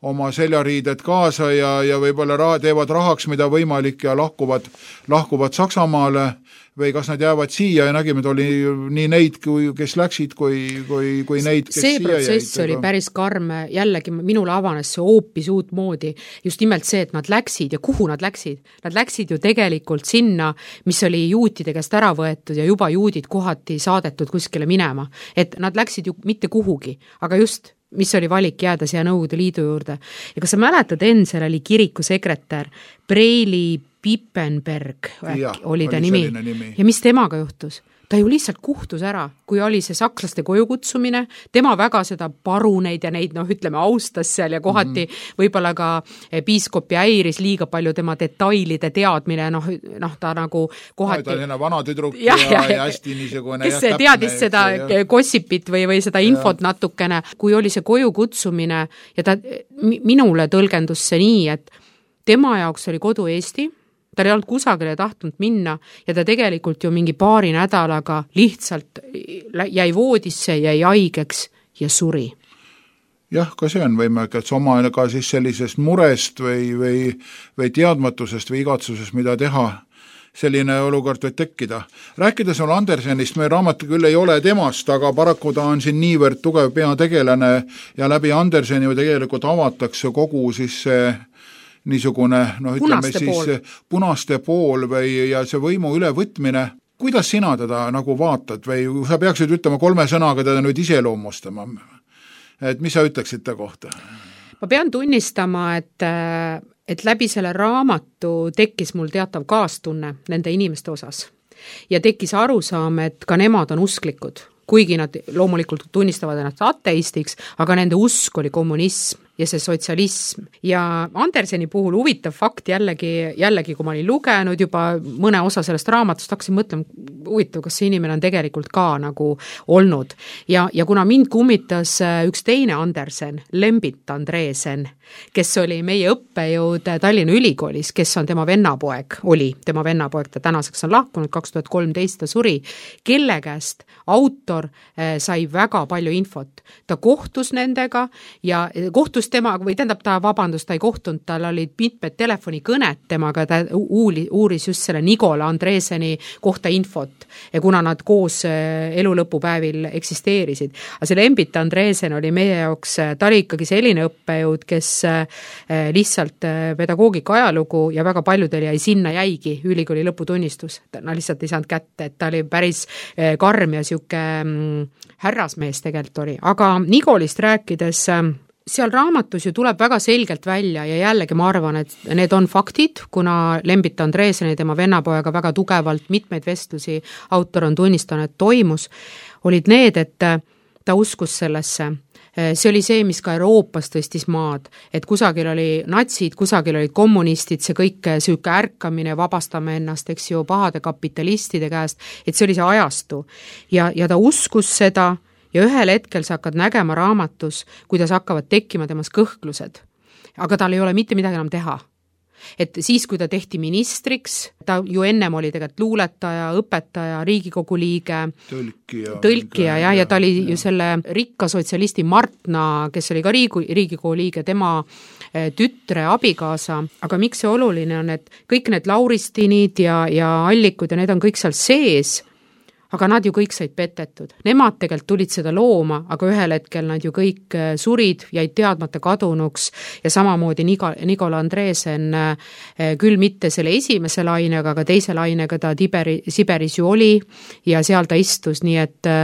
oma seljariided kaasa ja, ja võib-olla raha, teevad rahaks, mida võimalik ja lahkuvad, lahkuvad Saksamaale või kas nad jäävad siia ja nägime, et oli nii neid, kui, kes läksid, kui, kui, kui neid, kes see siia protsess jäid, oli päris karm, jällegi minule avanes see hoopis uut moodi, just nimelt see, et nad läksid ja kuhu nad läksid. Nad läksid ju tegelikult sinna, mis oli juutide käest ära võetud ja juba juudid kohati saadetud kuskile minema. Et nad läksid ju mitte kuhugi, aga just mis oli valik jääda siia Nõukogude Liidu juurde. Ja kas sa mäletad, Ensel oli kirikusekretär Preili Pippenberg, ja, oli ta oli nimi. nimi. Ja mis temaga juhtus? Ta ju lihtsalt kuhtus ära, kui oli see sakslaste koju kutsumine, tema väga seda paruneid ja neid, noh, ütleme, austas seal ja kohati mm-hmm. võib-olla ka piiskopi häiris liiga palju tema detailide teadmine, noh, noh ta nagu kohati... No, ta on vana tüdruk ja, ja, ja hästi niisugune... Kes ja, teadis täpne, seda ja... gossipit või, või seda infot ja. Natukene, kui oli see koju kutsumine ja ta minule tõlgendus see nii, et tema jaoks oli kodu Eesti, ta ei olnud kusagile tahtnud minna ja ta tegelikult ju mingi paari nädalaga lihtsalt jäi voodisse, jäi haigeks ja suri. Jah, ka see on võimalik, et oma ka siis sellisest murest või, või, või teadmatusest või igatsusest, mida teha, selline olukord võib tekkida. Rääkides on Andersenist, meie raamat küll ei ole temast, aga paraku ta on siin niivõrd tugev peategelane ja läbi Anderseni ju tegelikult avatakse kogu siis see niisugune, noh ütleme punaste siis pool. punaste pool või ja see võimu ülevõtmine. Kuidas sina teda nagu vaatad või sa peaksid ütlema kolme sõnaga teda nüüd iseloomustama? Et mis sa ütleksid ta kohta? Ma pean tunnistama, et, et läbi selle raamatu tekkis mul teatav kaastunne nende inimeste osas ja tekkis arusaam, et ka nemad on usklikud, kuigi nad loomulikult tunnistavad ennast ateistiks, aga nende usk oli kommunism ja see sotsialism. Ja Anderseni puhul huvitav fakt jällegi, jällegi kui ma olin lugenud juba mõne osa sellest raamatust, hakkasin mõtlema, huvitav, kas see inimene on tegelikult ka nagu olnud. Ja, ja kuna mind kummitas üks teine Andersen, Lembit Andresen, kes oli meie õppejõud Tallinna Ülikoolis, kes on tema vennapoeg, oli tema vennapoeg, ta tänaseks on lahkunud, kaks tuhat kolmteist ta suri, kelle käest autor sai väga palju infot. Ta kohtus nendega ja kohtus tema, või tähendab ta vabandust, ta ei kohtunud, tal olid mitmed telefonikõned temaga, ta uuli, uuris just selle Nikola Andreseni kohta infot ja kuna nad koos elu lõpupäevil eksisteerisid. Aga see Lembit Andresen oli meie jaoks, ta oli ikkagi selline õppejõud, kes lihtsalt pedagoogika ajalugu ja väga paljudel jäi sinna jäigi ülikooli lõputunnistus. Ta lihtsalt ei saanud kätte, et ta oli päris karm ja siuke härrasmees tegelikult oli. Aga Nikolist rääkides seal raamatus ju tuleb väga selgelt välja ja jällegi ma arvan, et need on faktid, kuna Lembit Andreeseni tema vennapojaga väga tugevalt mitmeid vestlusi autor on tunnistanud, et toimus, olid need, et ta uskus sellesse. See oli see, mis ka Euroopas tõstis maad, et kusagil oli natsid, kusagil olid kommunistid, see kõik süüke ärkamine, vabastame ennast, eks ju, pahade kapitalistide käest, et see oli see ajastu. Ja, ja ta uskus seda ja ühel hetkel sa hakkad nägema raamatus, kuidas hakkavad tekkima temas kõhklused. Aga tal ei ole mitte midagi enam teha. Et siis, kui ta tehti ministriks, ta ju ennem oli tegelikult luuletaja, õpetaja, Riigikogu liige, tõlkija, tõlkija ja, ja ta oli ja. ju selle rikka sotsialisti Martna, kes oli ka Riigu, Riigikogu liige, tema tütre abikaasa, aga miks see oluline on, et kõik need Lauristinid ja, ja Allikud ja need on kõik seal sees, aga nad ju kõik said petetud. Nemad tegelikult tulid seda looma, aga ühel hetkel nad ju kõik surid, jäid teadmata kadunuks ja samamoodi Nikola Andreesen küll mitte selle esimese lainega, aga teise lainega ta Tiberi, Siberis ju oli ja seal ta istus, nii et,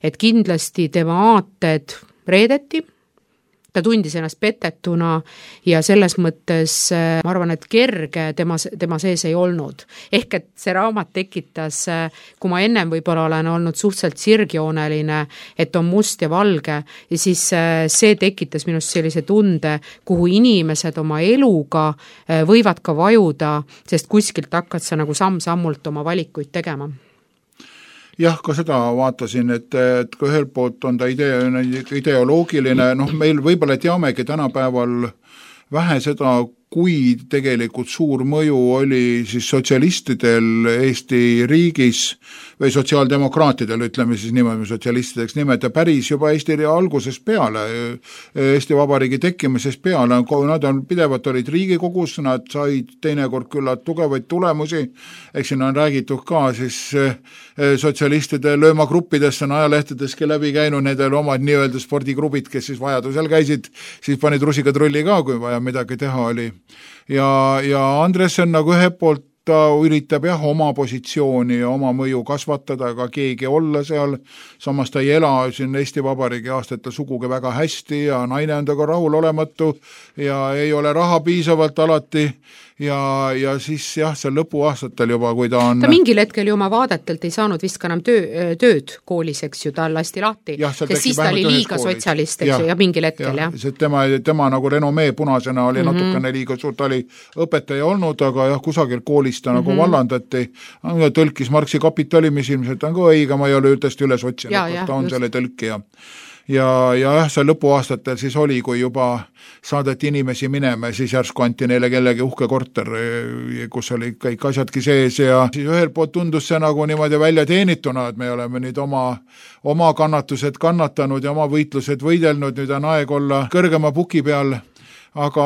et kindlasti tema aated reedeti, ta tundis ennast petetuna ja selles mõttes ma arvan, et kerge tema, tema sees ei olnud. Ehk et see raamat tekitas, kui ma ennem võib-olla olen olnud suhteliselt sirgjooneline, et on must ja valge, ja siis see tekitas minust sellise tunde, kuhu inimesed oma eluga võivad ka vajuda, sest kuskilt hakkad sa nagu samm-sammult oma valikuid tegema. Jah, ka seda vaatasin, et, et ka ühelt poolt on ta idee, ideoloogiline, noh meil võib-olla teamegi tänapäeval vähe seda, kui tegelikult suur mõju oli siis sotsialistidel Eesti riigis või sotsiaaldemokraatidel, ütleme siis niimoodi sotsialistideks nimeta, päris juba Eesti algusest peale, Eesti Vabariigi tekkimisest peale, nad on pidevalt olid Riigikogus, nad said teinekord küllalt tugevaid tulemusi, eks siin on räägitud ka siis sotsialistide löömagruppidest on ajalehtedeski läbi käinud, nendel omad nii-öelda spordigrupid, kes siis vajadusel käisid, siis panid rusikad rulli ka, kui vaja midagi teha oli. Ja, ja Andresen nagu ühe poolt ta üritab jah oma positsiooni ja oma mõju kasvatada, aga keegi olla seal, samas ta ei ela siin Eesti Vabariigi aastatel sugugi väga hästi ja naine on taga rahul olematu ja ei ole raha piisavalt alati ja, ja siis jah, seal lõpuaastatel juba, kui ta on ta mingil hetkel ju oma vaadetelt ei saanud vist ka enam töö, tööd koolis, eks ju, ta lasti lahti, sest siis ta oli liiga koolis. Sotsialist, eks ju, ja mingil hetkel, jah. jah. Tema, tema nagu renomee punasena oli mm -hmm. natukene liiga suur, ta oli õpetaja olnud, aga jah, kusagil koolis ta mm -hmm. nagu vallandati, tõlkis Marxi kapitali, mis ilmselt on ka õige, ma ei ole tõesti üles otsinud, ja, ta on just. Selle tõlkija. Ja, ja jah, see lõpuaastatel siis oli, kui juba saadeti inimesi minema, siis järsku anti neile kellegi uhke korter, kus oli kõik asjadki sees ja siis ühel poolt tundus see nagu niimoodi välja teenituna, et me oleme nüüd oma, oma kannatused kannatanud ja oma võitlused võidelnud, nüüd on aeg olla kõrgema puki peal, aga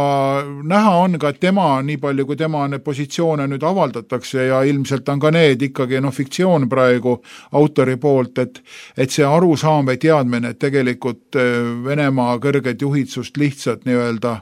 näha on ka, et tema, nii palju kui tema need positsioone nüüd avaldatakse ja ilmselt on ka need ikkagi no, fiktsioon praegu autori poolt, et, et see arusaam või teadmine, et tegelikult Venemaa kõrged juhidsust lihtsalt nii-öelda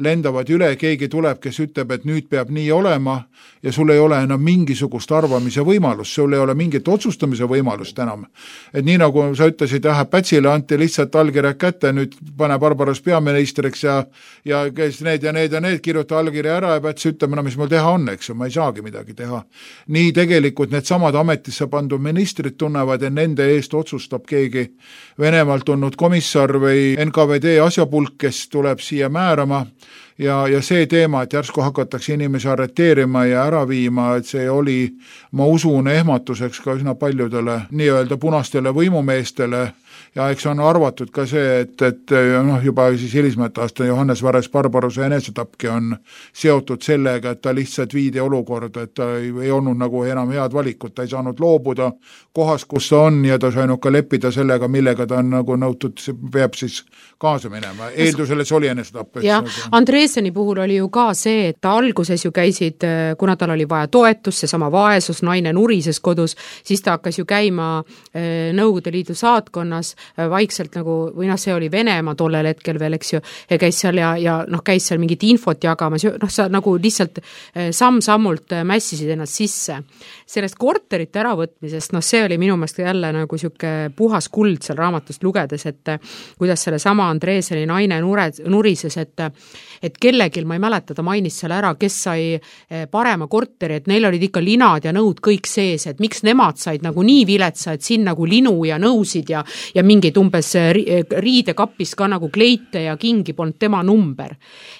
lendavad üle, keegi tuleb, kes ütleb, et nüüd peab nii olema ja sul ei ole enam mingisugust arvamise võimalust, sul ei ole mingit otsustamise võimalust enam. Et nii nagu sa ütlesid, jah, Pätsile anti lihtsalt allkirjad kätte, nüüd pane Barbaros peaministriks ja, ja kes need ja need ja need kirjuta allkirja ära ja Päts ütleme, no mis mul teha on, eks ju, ma ei saagi midagi teha. Nii tegelikult need samad ametisse pandud ministrid tunnevad, et nende eest otsustab keegi Venemaalt tulnud komissar või N K V D asjapulk, kes tuleb siia määrama ja, ja see teema, et järsku hakatakse inimesi arreteerima ja ära viima, et see oli, ma usun, ehmatuseks ka üsna paljudele nii-öelda punastele võimumeestele ja eks on arvatud ka see, et, et noh, juba siis hilismat aasta Johannes Vares Barbarose enesetapki on seotud sellega, et ta lihtsalt viidi olukorda, et ta ei, ei olnud nagu enam head valikut, ta ei saanud loobuda kohast, kus ta on ja ta sai ka leppida sellega, millega ta on nagu nõutud, peab siis kaasa minema. Eeldusele see oli enesetapp. Ja Andreeseni puhul oli ju ka see, et ta alguses ju käisid, kuna tal oli vaja toetust, see sama vaesus, naine nurises kodus, siis ta hakkas ju käima Nõukogude Liidu saatkonnas vaikselt nagu, või noh, see oli Venemaa tollel hetkel veel, eks ju, ja käis seal ja, ja noh, käis seal mingit infot jagamas, noh, sa nagu lihtsalt samm-sammult mässisid ennast sisse. Sellest korterite äravõtmisest, noh, see oli minu meelest jälle nagu siuke puhas kuld seal raamatust lugedes, et kuidas selle sama Andreeseni naine nure, nurises, et, et kellegil, ma ei mäleta, ta mainis seal ära, kes sai parema korteri, et neil olid ikka linad ja nõud kõik sees, et miks nemad said nagu nii viletsa, et siin nagu linu ja nõusid ja, ja mingid umbes riidekapis ka nagu kleite ja kingi polnud tema number.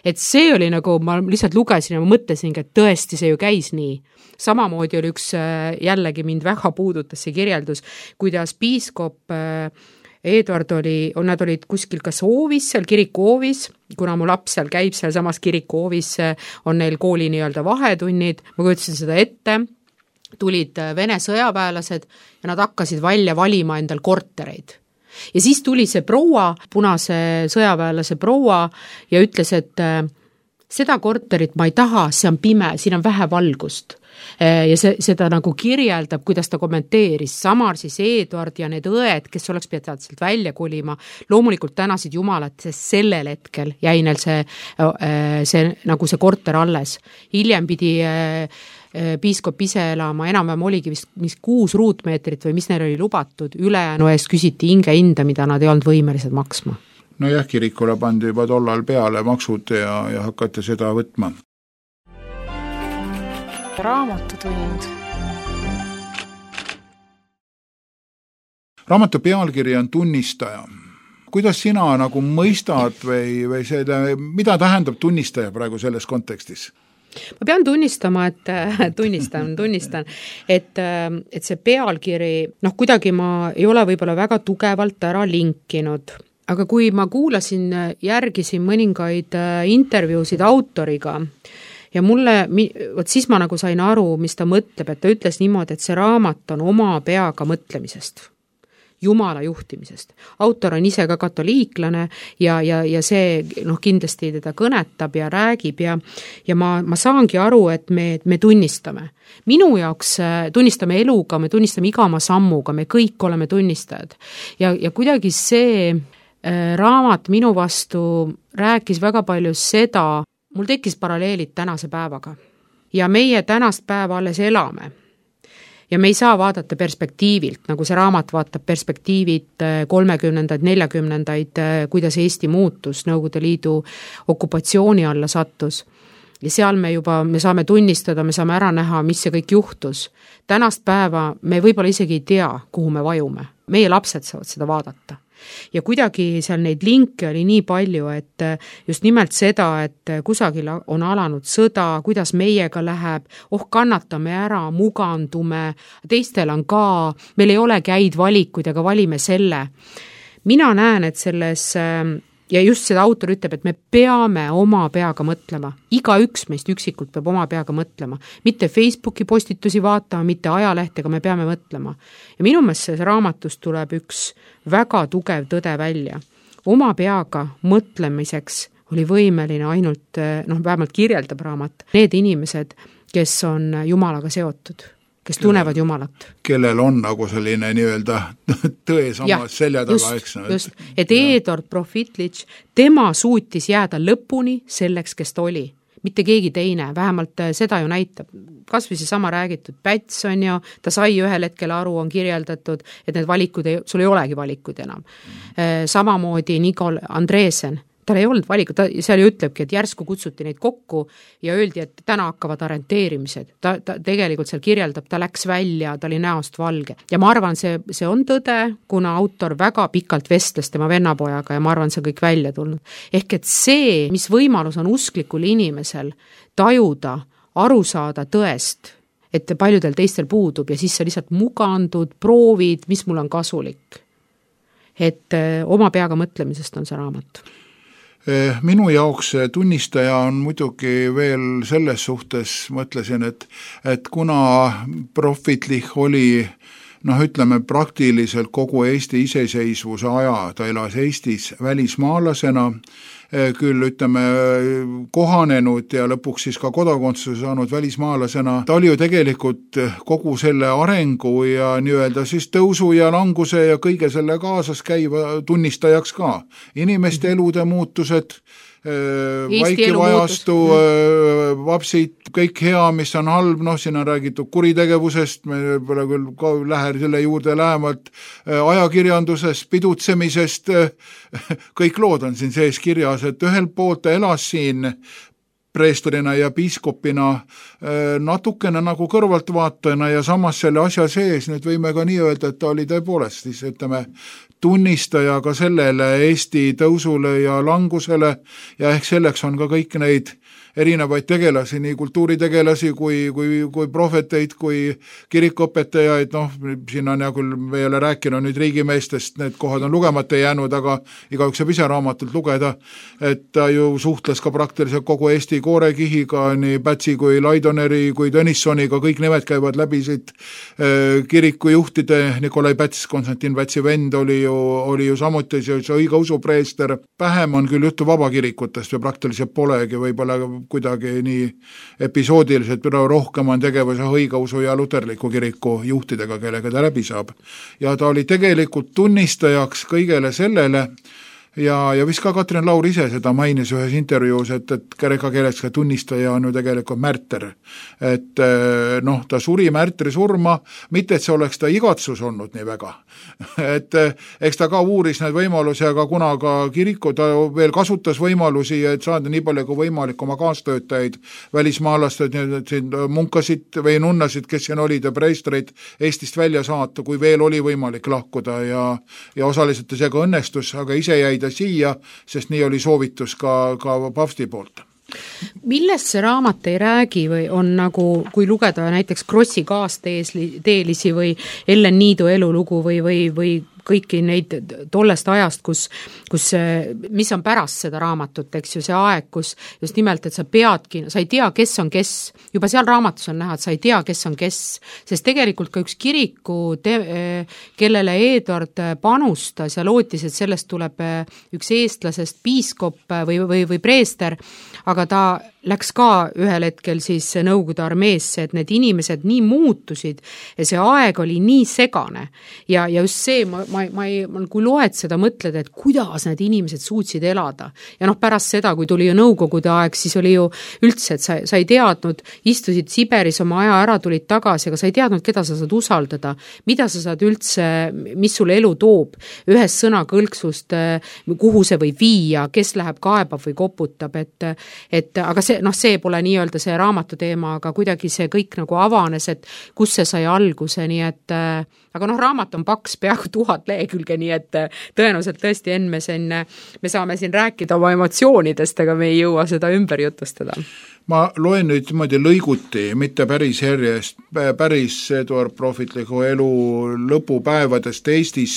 Et see oli nagu, ma lihtsalt lugesin ja ma mõtlesin, et tõesti see ju käis nii. Samamoodi oli üks, jällegi mind väga puudutas see kirjeldus, kuidas piiskop Eduard oli, nad olid kuskil kas hoovis, seal kirikuhoovis, kuna mu laps seal käib, seal samas kirikuhoovis on neil kooli nii-öelda vahetunnid, ma kujutasin seda ette, tulid Vene sõjaväelased ja nad hakkasid välja valima endal kortereid. Ja siis tuli see proua, punase sõjaväelase proua ja ütles, et seda korterit ma ei taha, see on pime, siin on vähe valgust. Ja see, seda nagu kirjeldab, kuidas ta kommenteeris. Samar siis Eduard ja need õed, kes oleks pidanud sealt välja kolima, loomulikult tänasid jumalat, sest sellel hetkel jäi neil see, see, nagu see korter alles. Hiljem pidi piiskop ise elama, enam-vähem oligi vist mis kuus ruutmeetrit või mis neil oli lubatud, ülejäänu eest küsiti hinge hinda, mida nad ei olnud võimelised maksma. No jah, kirikule pandi juba tollal peale maksud ja, ja hakati seda võtma. Raamatutund. Raamatu pealkiri on tunnistaja. Kuidas sina nagu mõistad või, või seda, mida tähendab tunnistaja praegu selles kontekstis? Ma pean tunnistama, et tunnistan, tunnistan, et, et see pealkiri, noh kuidagi ma ei ole võib-olla väga tugevalt ära linkinud, aga kui ma kuulasin, järgisin mõningaid intervjuusid autoriga ja mulle, võt siis ma nagu sain aru, mis ta mõtleb, et ta ütles niimoodi, et see raamat on oma peaga mõtlemisest. Jumala juhtimisest. Autor on ise ka katoliiklane ja, ja, ja see noh, kindlasti teda kõnetab ja räägib ja, ja ma, ma saangi aru, et me, me tunnistame. Minu jaoks tunnistame eluga, me tunnistame iga oma sammuga, me kõik oleme tunnistajad. Ja, ja kuidagi see äh, raamat minu vastu rääkis väga palju seda, mul tekkis paralleelid tänase päevaga. Ja meie tänast päeva alles elame. Ja me ei saa vaadata perspektiivilt, nagu see raamat vaatab perspektiivid kolmekümnendaid, neljakümnendaid, kuidas Eesti muutus, Nõukogude Liidu okupatsiooni alla sattus. Ja seal me juba, me saame tunnistada, me saame ära näha, mis see kõik juhtus. Tänast päeva me võib-olla isegi ei tea, kuhu me vajume. Meie lapsed saavad seda vaadata. Ja kuidagi seal neid linke oli nii palju, et just nimelt seda, et kusagil on alanud sõda, kuidas meiega läheb, oh kannatame ära, mugandume, teistel on ka, meil ei olegi häid valikuid, aga valime selle. Mina näen, et selles, ja just seda autor ütleb, et me peame oma peaga mõtlema. Iga üks meist üksikult peab oma peaga mõtlema. Mitte Facebooki postitusi vaatama, mitte ajalehtega, me peame mõtlema. Ja minu meelest see raamatust tuleb üks väga tugev tõde välja. Oma peaga mõtlemiseks oli võimeline ainult, noh, vähemalt kirjeldab raamat, need inimesed, kes on Jumalaga seotud, kes tunnevad Jumalat. Kellel on nagu selline nii-öelda tõe samas selja taga, eks. Just, et Eduard Profitlitš, tema suutis jääda lõpuni selleks, kes ta oli. Mitte keegi teine, vähemalt seda ju näitab. Kas või see sama räägitud Päts on ju, ta sai ühel hetkel aru, on kirjeldatud, et need valikud, ei, sul ei olegi valikud enam. Samamoodi Nikol Andreesen, tal ei olnud valikud, ta seal ju ütlebki, et järsku kutsuti neid kokku ja öeldi, et täna hakkavad orienteerimised. Ta, ta tegelikult seal kirjeldab, ta läks välja, ta oli näost valge. Ja ma arvan, see, see on tõde, kuna autor väga pikalt vestles tema vennapojaga ja ma arvan, see kõik välja tulnud. Ehk et see, mis võimalus on usklikul inimesel tajuda, aru saada tõest, et paljudel teistel puudub ja siis sa lihtsalt mugandud, proovid, mis mul on kasulik. Et oma peaga mõtlemisest on see raamat. Minu jaoks tunnistaja on muidugi veel selles suhtes, mõtlesin, et, et kuna Profitlitš oli, noh ütleme, praktiliselt kogu Eesti iseseisvuse aja, ta elas Eestis välismaalasena, küll ütleme kohanenud ja lõpuks siis ka kodakondsuse saanud välismaalasena, ta oli ju tegelikult kogu selle arengu ja nii-öelda siis tõusu ja languse ja kõige selle kaasas käiva tunnistajaks ka. Inimeste elude muutused, vaikivajastu, vapsid, kõik hea, mis on halb, noh, siin on räägitud kuritegevusest, me pole küll ka lähe selle juurde lähemalt, ajakirjandusest, pidutsemisest, kõik lood on siin sees kirjas, et ühel poolt ta elas siin preestrina ja piiskopina natukene nagu kõrvaltvaatajana ja samas selle asja sees, nüüd võime ka nii öelda, et ta oli tõepoolest siis, ütleme, tunnistaja ka sellele Eesti tõusule ja langusele ja ehk selleks on ka kõik neid erinevaid tegelasi, nii kultuuritegelasi kui, kui, kui prohveteid, kui kirikuõpetajaid, noh, siin on ja küll me ei ole rääkinud nüüd riigimeestest, need kohad on lugemata jäänud, aga igaüks saab ise raamatult lugeda, et ta ju suhtles ka praktiliselt kogu Eesti koorekihiga, nii Pätsi kui Laidoneri kui Tõnissoniga, kõik nimed käivad läbi siit kirikujuhtide, Nikolai Päts, Konstantin Pätsi vend oli ju, oli ju samuti see, see õigeusu preester, vähem on küll juttu vabakirikutest või praktiliselt polegi, võib-olla kuidagi nii episoodiliselt, rohkem on tegevuse õigeusu ja luterliku kiriku juhtidega, kellega ta läbi saab. Ja ta oli tegelikult tunnistajaks kõigele sellele ja, ja vist ka Katrin Laur ise seda mainis ühes intervjuus, et, et kreeka keeles ka tunnistaja on ju tegelikult märter. Et noh, ta suri märtri surma, mitte et see oleks ta igatsus olnud nii väga. Et eks ta ka uuris need võimalusi, aga kuna ka kiriku ta veel kasutas võimalusi, et saada nii palju kui võimalik oma kaastöötajaid, välismaalastad, munkasid või nunnasid, kes siin olid ja preestreid Eestist välja saata, kui veel oli võimalik lahkuda ja, ja osaliselt see ka õnnestus, aga ise jäi ta siia, sest nii oli soovitus ka, ka papsti poolt. Millest see raamat ei räägi või on nagu, kui lugeda näiteks Krossi kaasteelisi või Ellen Niidu elulugu või, või, või kõiki neid tollest ajast, kus, kus, mis on pärast seda raamatut, eks ju, see aeg, kus just nimelt, et sa peadki, sa ei tea, kes on kes, juba seal raamatus on näha, et sa ei tea, kes on kes, sest tegelikult ka üks kiriku, te, kellele Eduard panustas ja lootis, et sellest tuleb üks eestlasest piiskop või, või, või preester, aga ta läks ka ühel hetkel siis Nõukogude armeesse, et need inimesed nii muutusid ja see aeg oli nii segane ja, ja just see, ma, ma, ma ei, kui loed seda, mõtled, et kuidas need inimesed suutsid elada ja noh, pärast seda, kui tuli ju Nõukogude aeg, siis oli ju üldse, et sa, sa ei teadnud, istusid Siberis oma aja ära, tulid tagasi, aga sa ei teadnud, keda sa saad usaldada, mida sa saad üldse, mis sulle elu toob, ühest sõnakõlksust, kuhu see võib viia, kes läheb kaebab või koputab, et, et aga see noh, see pole nii-öelda see raamatu teema, aga kuidagi see kõik nagu avanes, et kus see sai alguse, nii et aga noh, raamat on paks, peaaegu tuhat lehekülge, nii et tõenäoliselt tõesti enne me, siin, me saame siin rääkida oma emotsioonidest, aga me ei jõua seda ümber jutustada. Ma loen nüüd niimoodi lõiguti, mitte päris järjest, päris Eduard prohvetliku elu lõpupäevadest Eestis,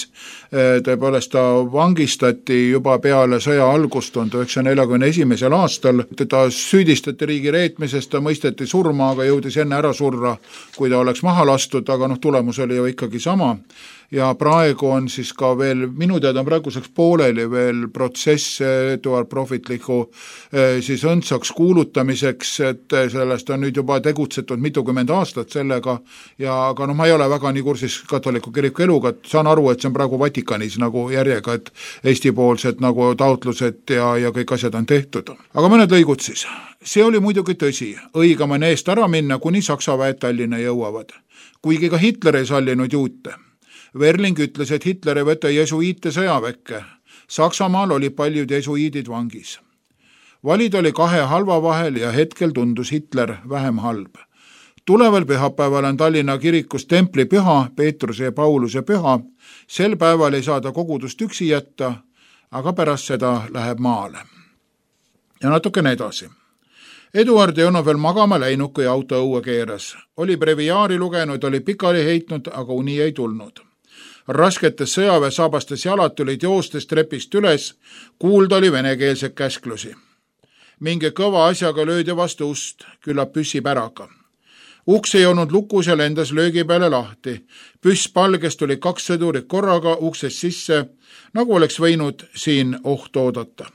tõepoolest ta vangistati juba peale sõja algust tuhande üheksasaja neljakümne esimesel aastal, teda süüdistati riigi reetmisest, ta mõisteti surma, aga jõudis enne ära surra, kui ta oleks maha lastud, aga noh, tulemus oli ju ikkagi sama. Ja praegu on siis ka veel, minu teada on praeguseks pooleli veel protsess Eduard prohvetliku siis õndsaks kuulutamiseks, et sellest on nüüd juba tegutsetud mitukümmend aastat sellega ja aga noh, ma ei ole väga nii kursis katoliku kiriku eluga, et saan aru, et see on praegu Vatikanis nagu järjega, et Eesti-poolsed nagu taotlused ja, ja kõik asjad on tehtud. Aga mõned lõigud siis. See oli muidugi tõsi, õigem on eest ära minna, kuni Saksa väed Tallinna jõuavad. Kuigi ka Hitler ei sallinud juute. Verling ütles, et Hitler ei võta jesuiite sõjaväkke. Saksamaal oli paljud jesuiidid vangis. Valid oli kahe halva vahel ja hetkel tundus Hitler vähem halb. Tuleval pühapäeval on Tallinna kirikus templi püha, Peetruse ja Pauluse püha. Sel päeval ei saada kogudust üksi jätta, aga pärast seda läheb maale. Ja natukene edasi. Eduard ei olnud veel magama läinud, kui auto õue keeras. Oli breviaari lugenud, oli pikali heitnud, aga uni ei tulnud. Rasketes sõjaväe saabastes jalad tulid joostes trepist üles, kuulda oli venekeelsed käsklusi. Mingi kõva asjaga löödi vastu ust, küllap püssi päraga. Uks ei olnud lukus ja lendas löögi peale lahti. Püss palges tuli kaks sõdurit korraga uksest sisse, nagu oleks võinud siin oht oodata.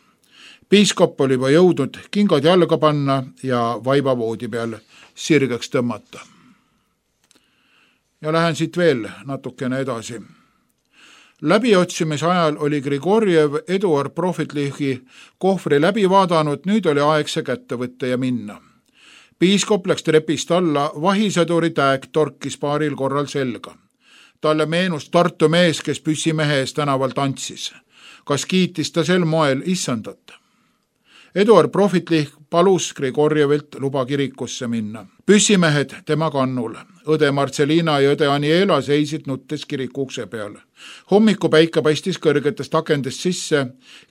piiskop oli juba jõudnud kingad jalga panna ja vaiba voodi peal sirgeks tõmmata. Ja lähen siit veel natukene edasi. Läbiotsimise ajal oli Grigorjev Eduard Prohvetlichi kohvri läbi vaadanud, nüüd oli aeg see kätte võtta ja minna. Piiskop läks trepist alla, vahisõduri tääg torkis paaril korral selga. Talle meenus Tartu mees, kes püssimehe ees tänaval tantsis. Kas kiitis ta sel moel issandat? Eduard Prohvetlich palus Grigorjevilt luba kirikusse minna. Püssimehed tema kannul. Õde Marcelina ja õde Aniela seisid nuttes kiriku ukse peal. Hommiku päike paistis kõrgetest akendest sisse.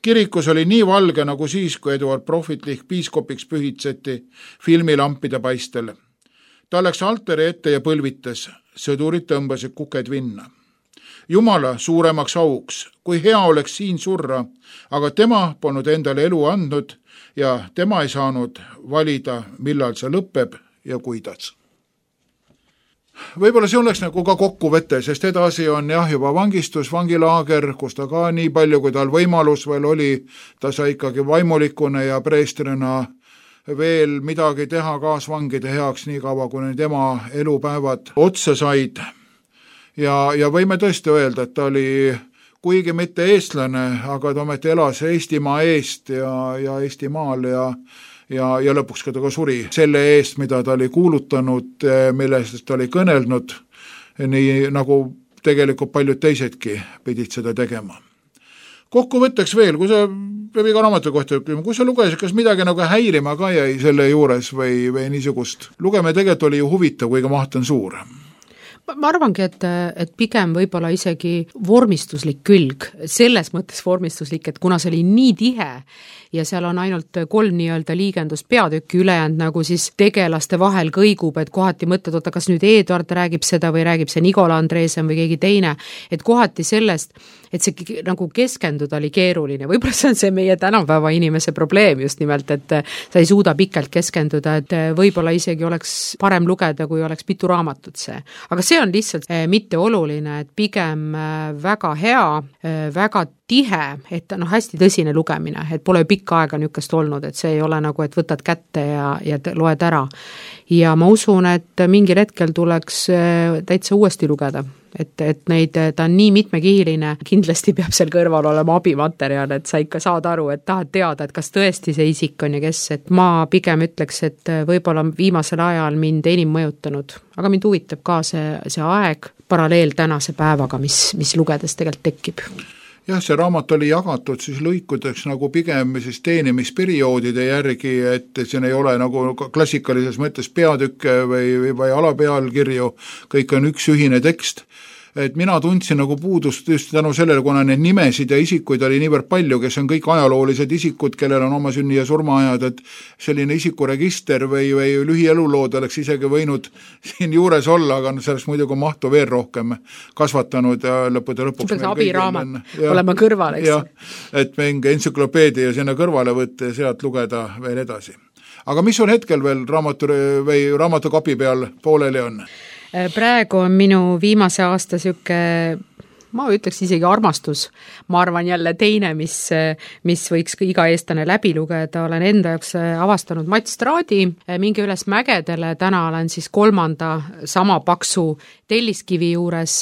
Kirikus oli nii valge nagu siis, kui Eduard Prohvetlich piiskopiks pühitseti filmilampide paistel. Ta läks altari ette ja põlvitas. Sõdurid tõmbasid kuked vinna. Jumala suuremaks auks, kui hea oleks siin surra, aga tema polnud endale elu andnud ja tema ei saanud valida, millal see lõpeb ja kuidas. Võib-olla see oleks nagu ka kokkuvõte, sest edasi on jah juba vangistus, vangilaager, kus ta ka nii palju, kui tal võimalus veel oli, ta sai ikkagi vaimulikuna ja preestrina veel midagi teha kaasvangide heaks nii kaua, kui tema elupäevad otsa said. Ja, ja võime tõesti öelda, et ta oli kuigi mitte eestlane, aga ta ometi elas Eestimaa eest ja, ja Eestimaal ja, ja, ja lõpuks ka ta ka suri selle eest, mida ta oli kuulutanud, millest ta oli kõnelnud, nii nagu tegelikult paljud teisedki pidid seda tegema. Kokkuvõtteks veel, kui sa, peab iga raamatu kohta ütlema, kui sa lugesid, kas midagi nagu häirima ka jäi selle juures või, või niisugust? Lugeme tegelikult oli ju huvitav, kuigi maht on suur. Ma arvangi, et, et pigem võib-olla isegi vormistuslik külg, selles mõttes vormistuslik, et kuna see oli nii tihe ja seal on ainult kolm nii-öelda liigendust peatükki ülejäänud, nagu siis tegelaste vahel kõigub, et kohati mõtled, oota, kas nüüd Eduard räägib seda või räägib see Nikola Andreesen või keegi teine, et kohati sellest, et see nagu keskenduda oli keeruline, võib-olla see on see meie tänapäeva inimese probleem just nimelt, et sa ei suuda pikalt keskenduda, et võib-olla isegi oleks parem lugeda, kui oleks mitu raamatut see. Aga see on lihtsalt mitte oluline, et pigem väga hea, väga tihe, et no hästi tõsine lugemine, et pole pikka aega niukest olnud, et see ei ole nagu, et võtad kätte ja, ja loed ära. Ja ma usun, et mingil hetkel tuleks täitsa uuesti lugeda, et, et neid, ta on nii mitmekihiline, kindlasti peab seal kõrval olema abimaterjal, et sa ikka saad aru, et tahad teada, et kas tõesti see isik on ja kes, et ma pigem ütleks, et võib-olla viimasel ajal mind enim mõjutanud, aga mind huvitab ka see, see aeg paralleel tänase päevaga, mis, mis lugedes tegelikult tekib. Jah, see raamat oli jagatud siis lõikudeks nagu pigem siis teenimisperioodide järgi, et siin ei ole nagu klassikalises mõttes peatükke või, või alapealkirju, kõik on üks ühine tekst. Et mina tundsin nagu puudust just tänu sellele, kuna need nimesid ja isikuid oli niivõrd palju, kes on kõik ajaloolised isikud, kellel on oma sünni ja surmaajad, et selline isikuregister või, või lühielulood oleks isegi võinud siin juures olla, aga selleks muidugi mahtu veel rohkem kasvatanud ja lõppude lõpuks see abiraamat olema kõrval, eks? Ja, et mingi entsüklopeedia sinna kõrvale võtta ja sealt lugeda veel edasi. Aga mis sul hetkel veel raamatu või raamatukapi peal pooleli on? Praegu on minu viimase aasta süke, ma ütleks isegi armastus, ma arvan jälle teine, mis, mis võiks iga eestlane läbi lugeda, olen enda jaoks avastanud Mats Traadi, minge üles mägedele, täna olen siis kolmanda sama paksu telliskivi juures,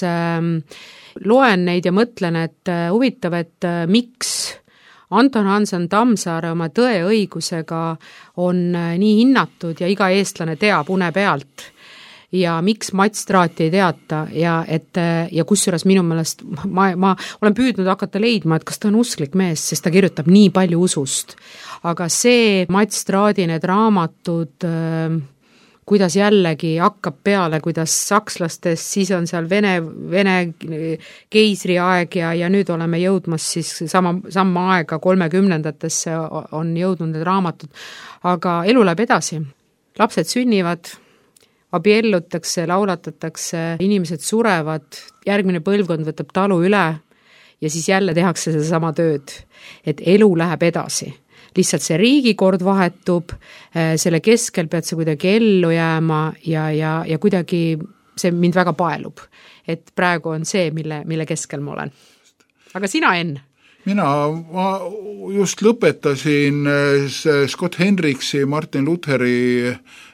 loen neid ja mõtlen, et huvitav, et miks Anton Hansen Tammsaare oma Tõe õigusega on nii hinnatud ja iga eestlane teab une pealt ja miks Mats Traati ei teata ja, et, ja kusjuures minu meelest ma, ma olen püüdnud hakata leidma, et kas ta on usklik mees, sest ta kirjutab nii palju usust. Aga see Mats Traadi need raamatud, kuidas jällegi hakkab peale, kuidas sakslastest, siis on seal Vene, Vene keisri aeg ja, ja nüüd oleme jõudmas siis sama, sama aega kolmekümnendatesse on jõudnud need raamatud. Aga elu läheb edasi. Lapsed sünnivad, abiellutakse, laulatatakse, inimesed surevad, järgmine põlvkond võtab talu üle ja siis jälle tehakse seda sama tööd, et elu läheb edasi. Lihtsalt see riigikord vahetub, selle keskel pead sa kuidagi ellu jääma ja, ja, ja kuidagi see mind väga paelub, et praegu on see, mille, mille keskel ma olen. Aga sina, Enn? mina ma just lõpetasin Scott Hendricksi, Martin Lutheri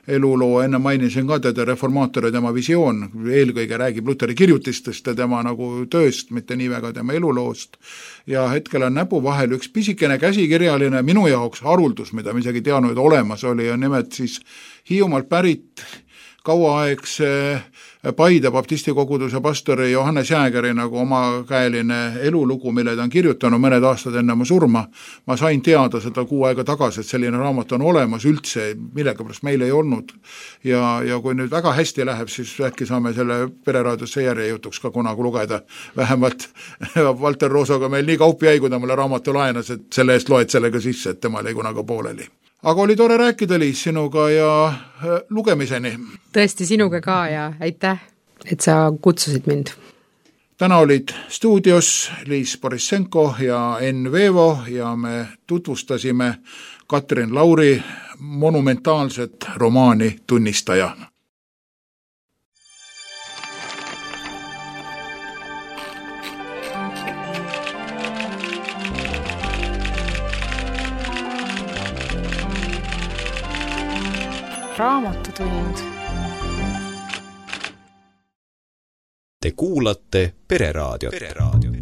eluloo, enne mainisin ka teda reformaator ja tema visioon, eelkõige räägib Lutheri kirjutistest ja tema nagu tööst, mitte nii väga tema eluloost. Ja hetkel on näpu vahel üks pisikene käsikirjaline minu jaoks haruldus, mida ma isegi teadnud olemas oli, ja nimelt siis Hiiumaalt pärit kauaaegse Paide baptisti koguduse pastori Johannes Jäägeri nagu omakäeline elulugu, mille ta on kirjutanud mõned aastad enne oma surma. Ma sain teada seda kuu aega tagasi, et selline raamat on olemas üldse, millega pärast meil ei olnud. Ja, ja kui nüüd väga hästi läheb, siis äkki saame selle Pereraadiosse järjejutuks ka kunagi lugeda. Vähemalt Valter Roosoga meil nii kaup jäi, kui ta mulle raamatu laenas, et selle eest loed sellega sisse, et tema oli kunagi pooleli. Aga oli tore rääkida, Liis, sinuga ja lugemiseni. Tõesti sinuga ka ja aitäh, et sa kutsusid mind. Täna olid stuudios Liis Borissenko ja Enn Veevo ja me tutvustasime Katrin Lauri monumentaalset romaani Tunnistaja. Raamatutund. Te kuulate Pereraadiot. Pereraadiot.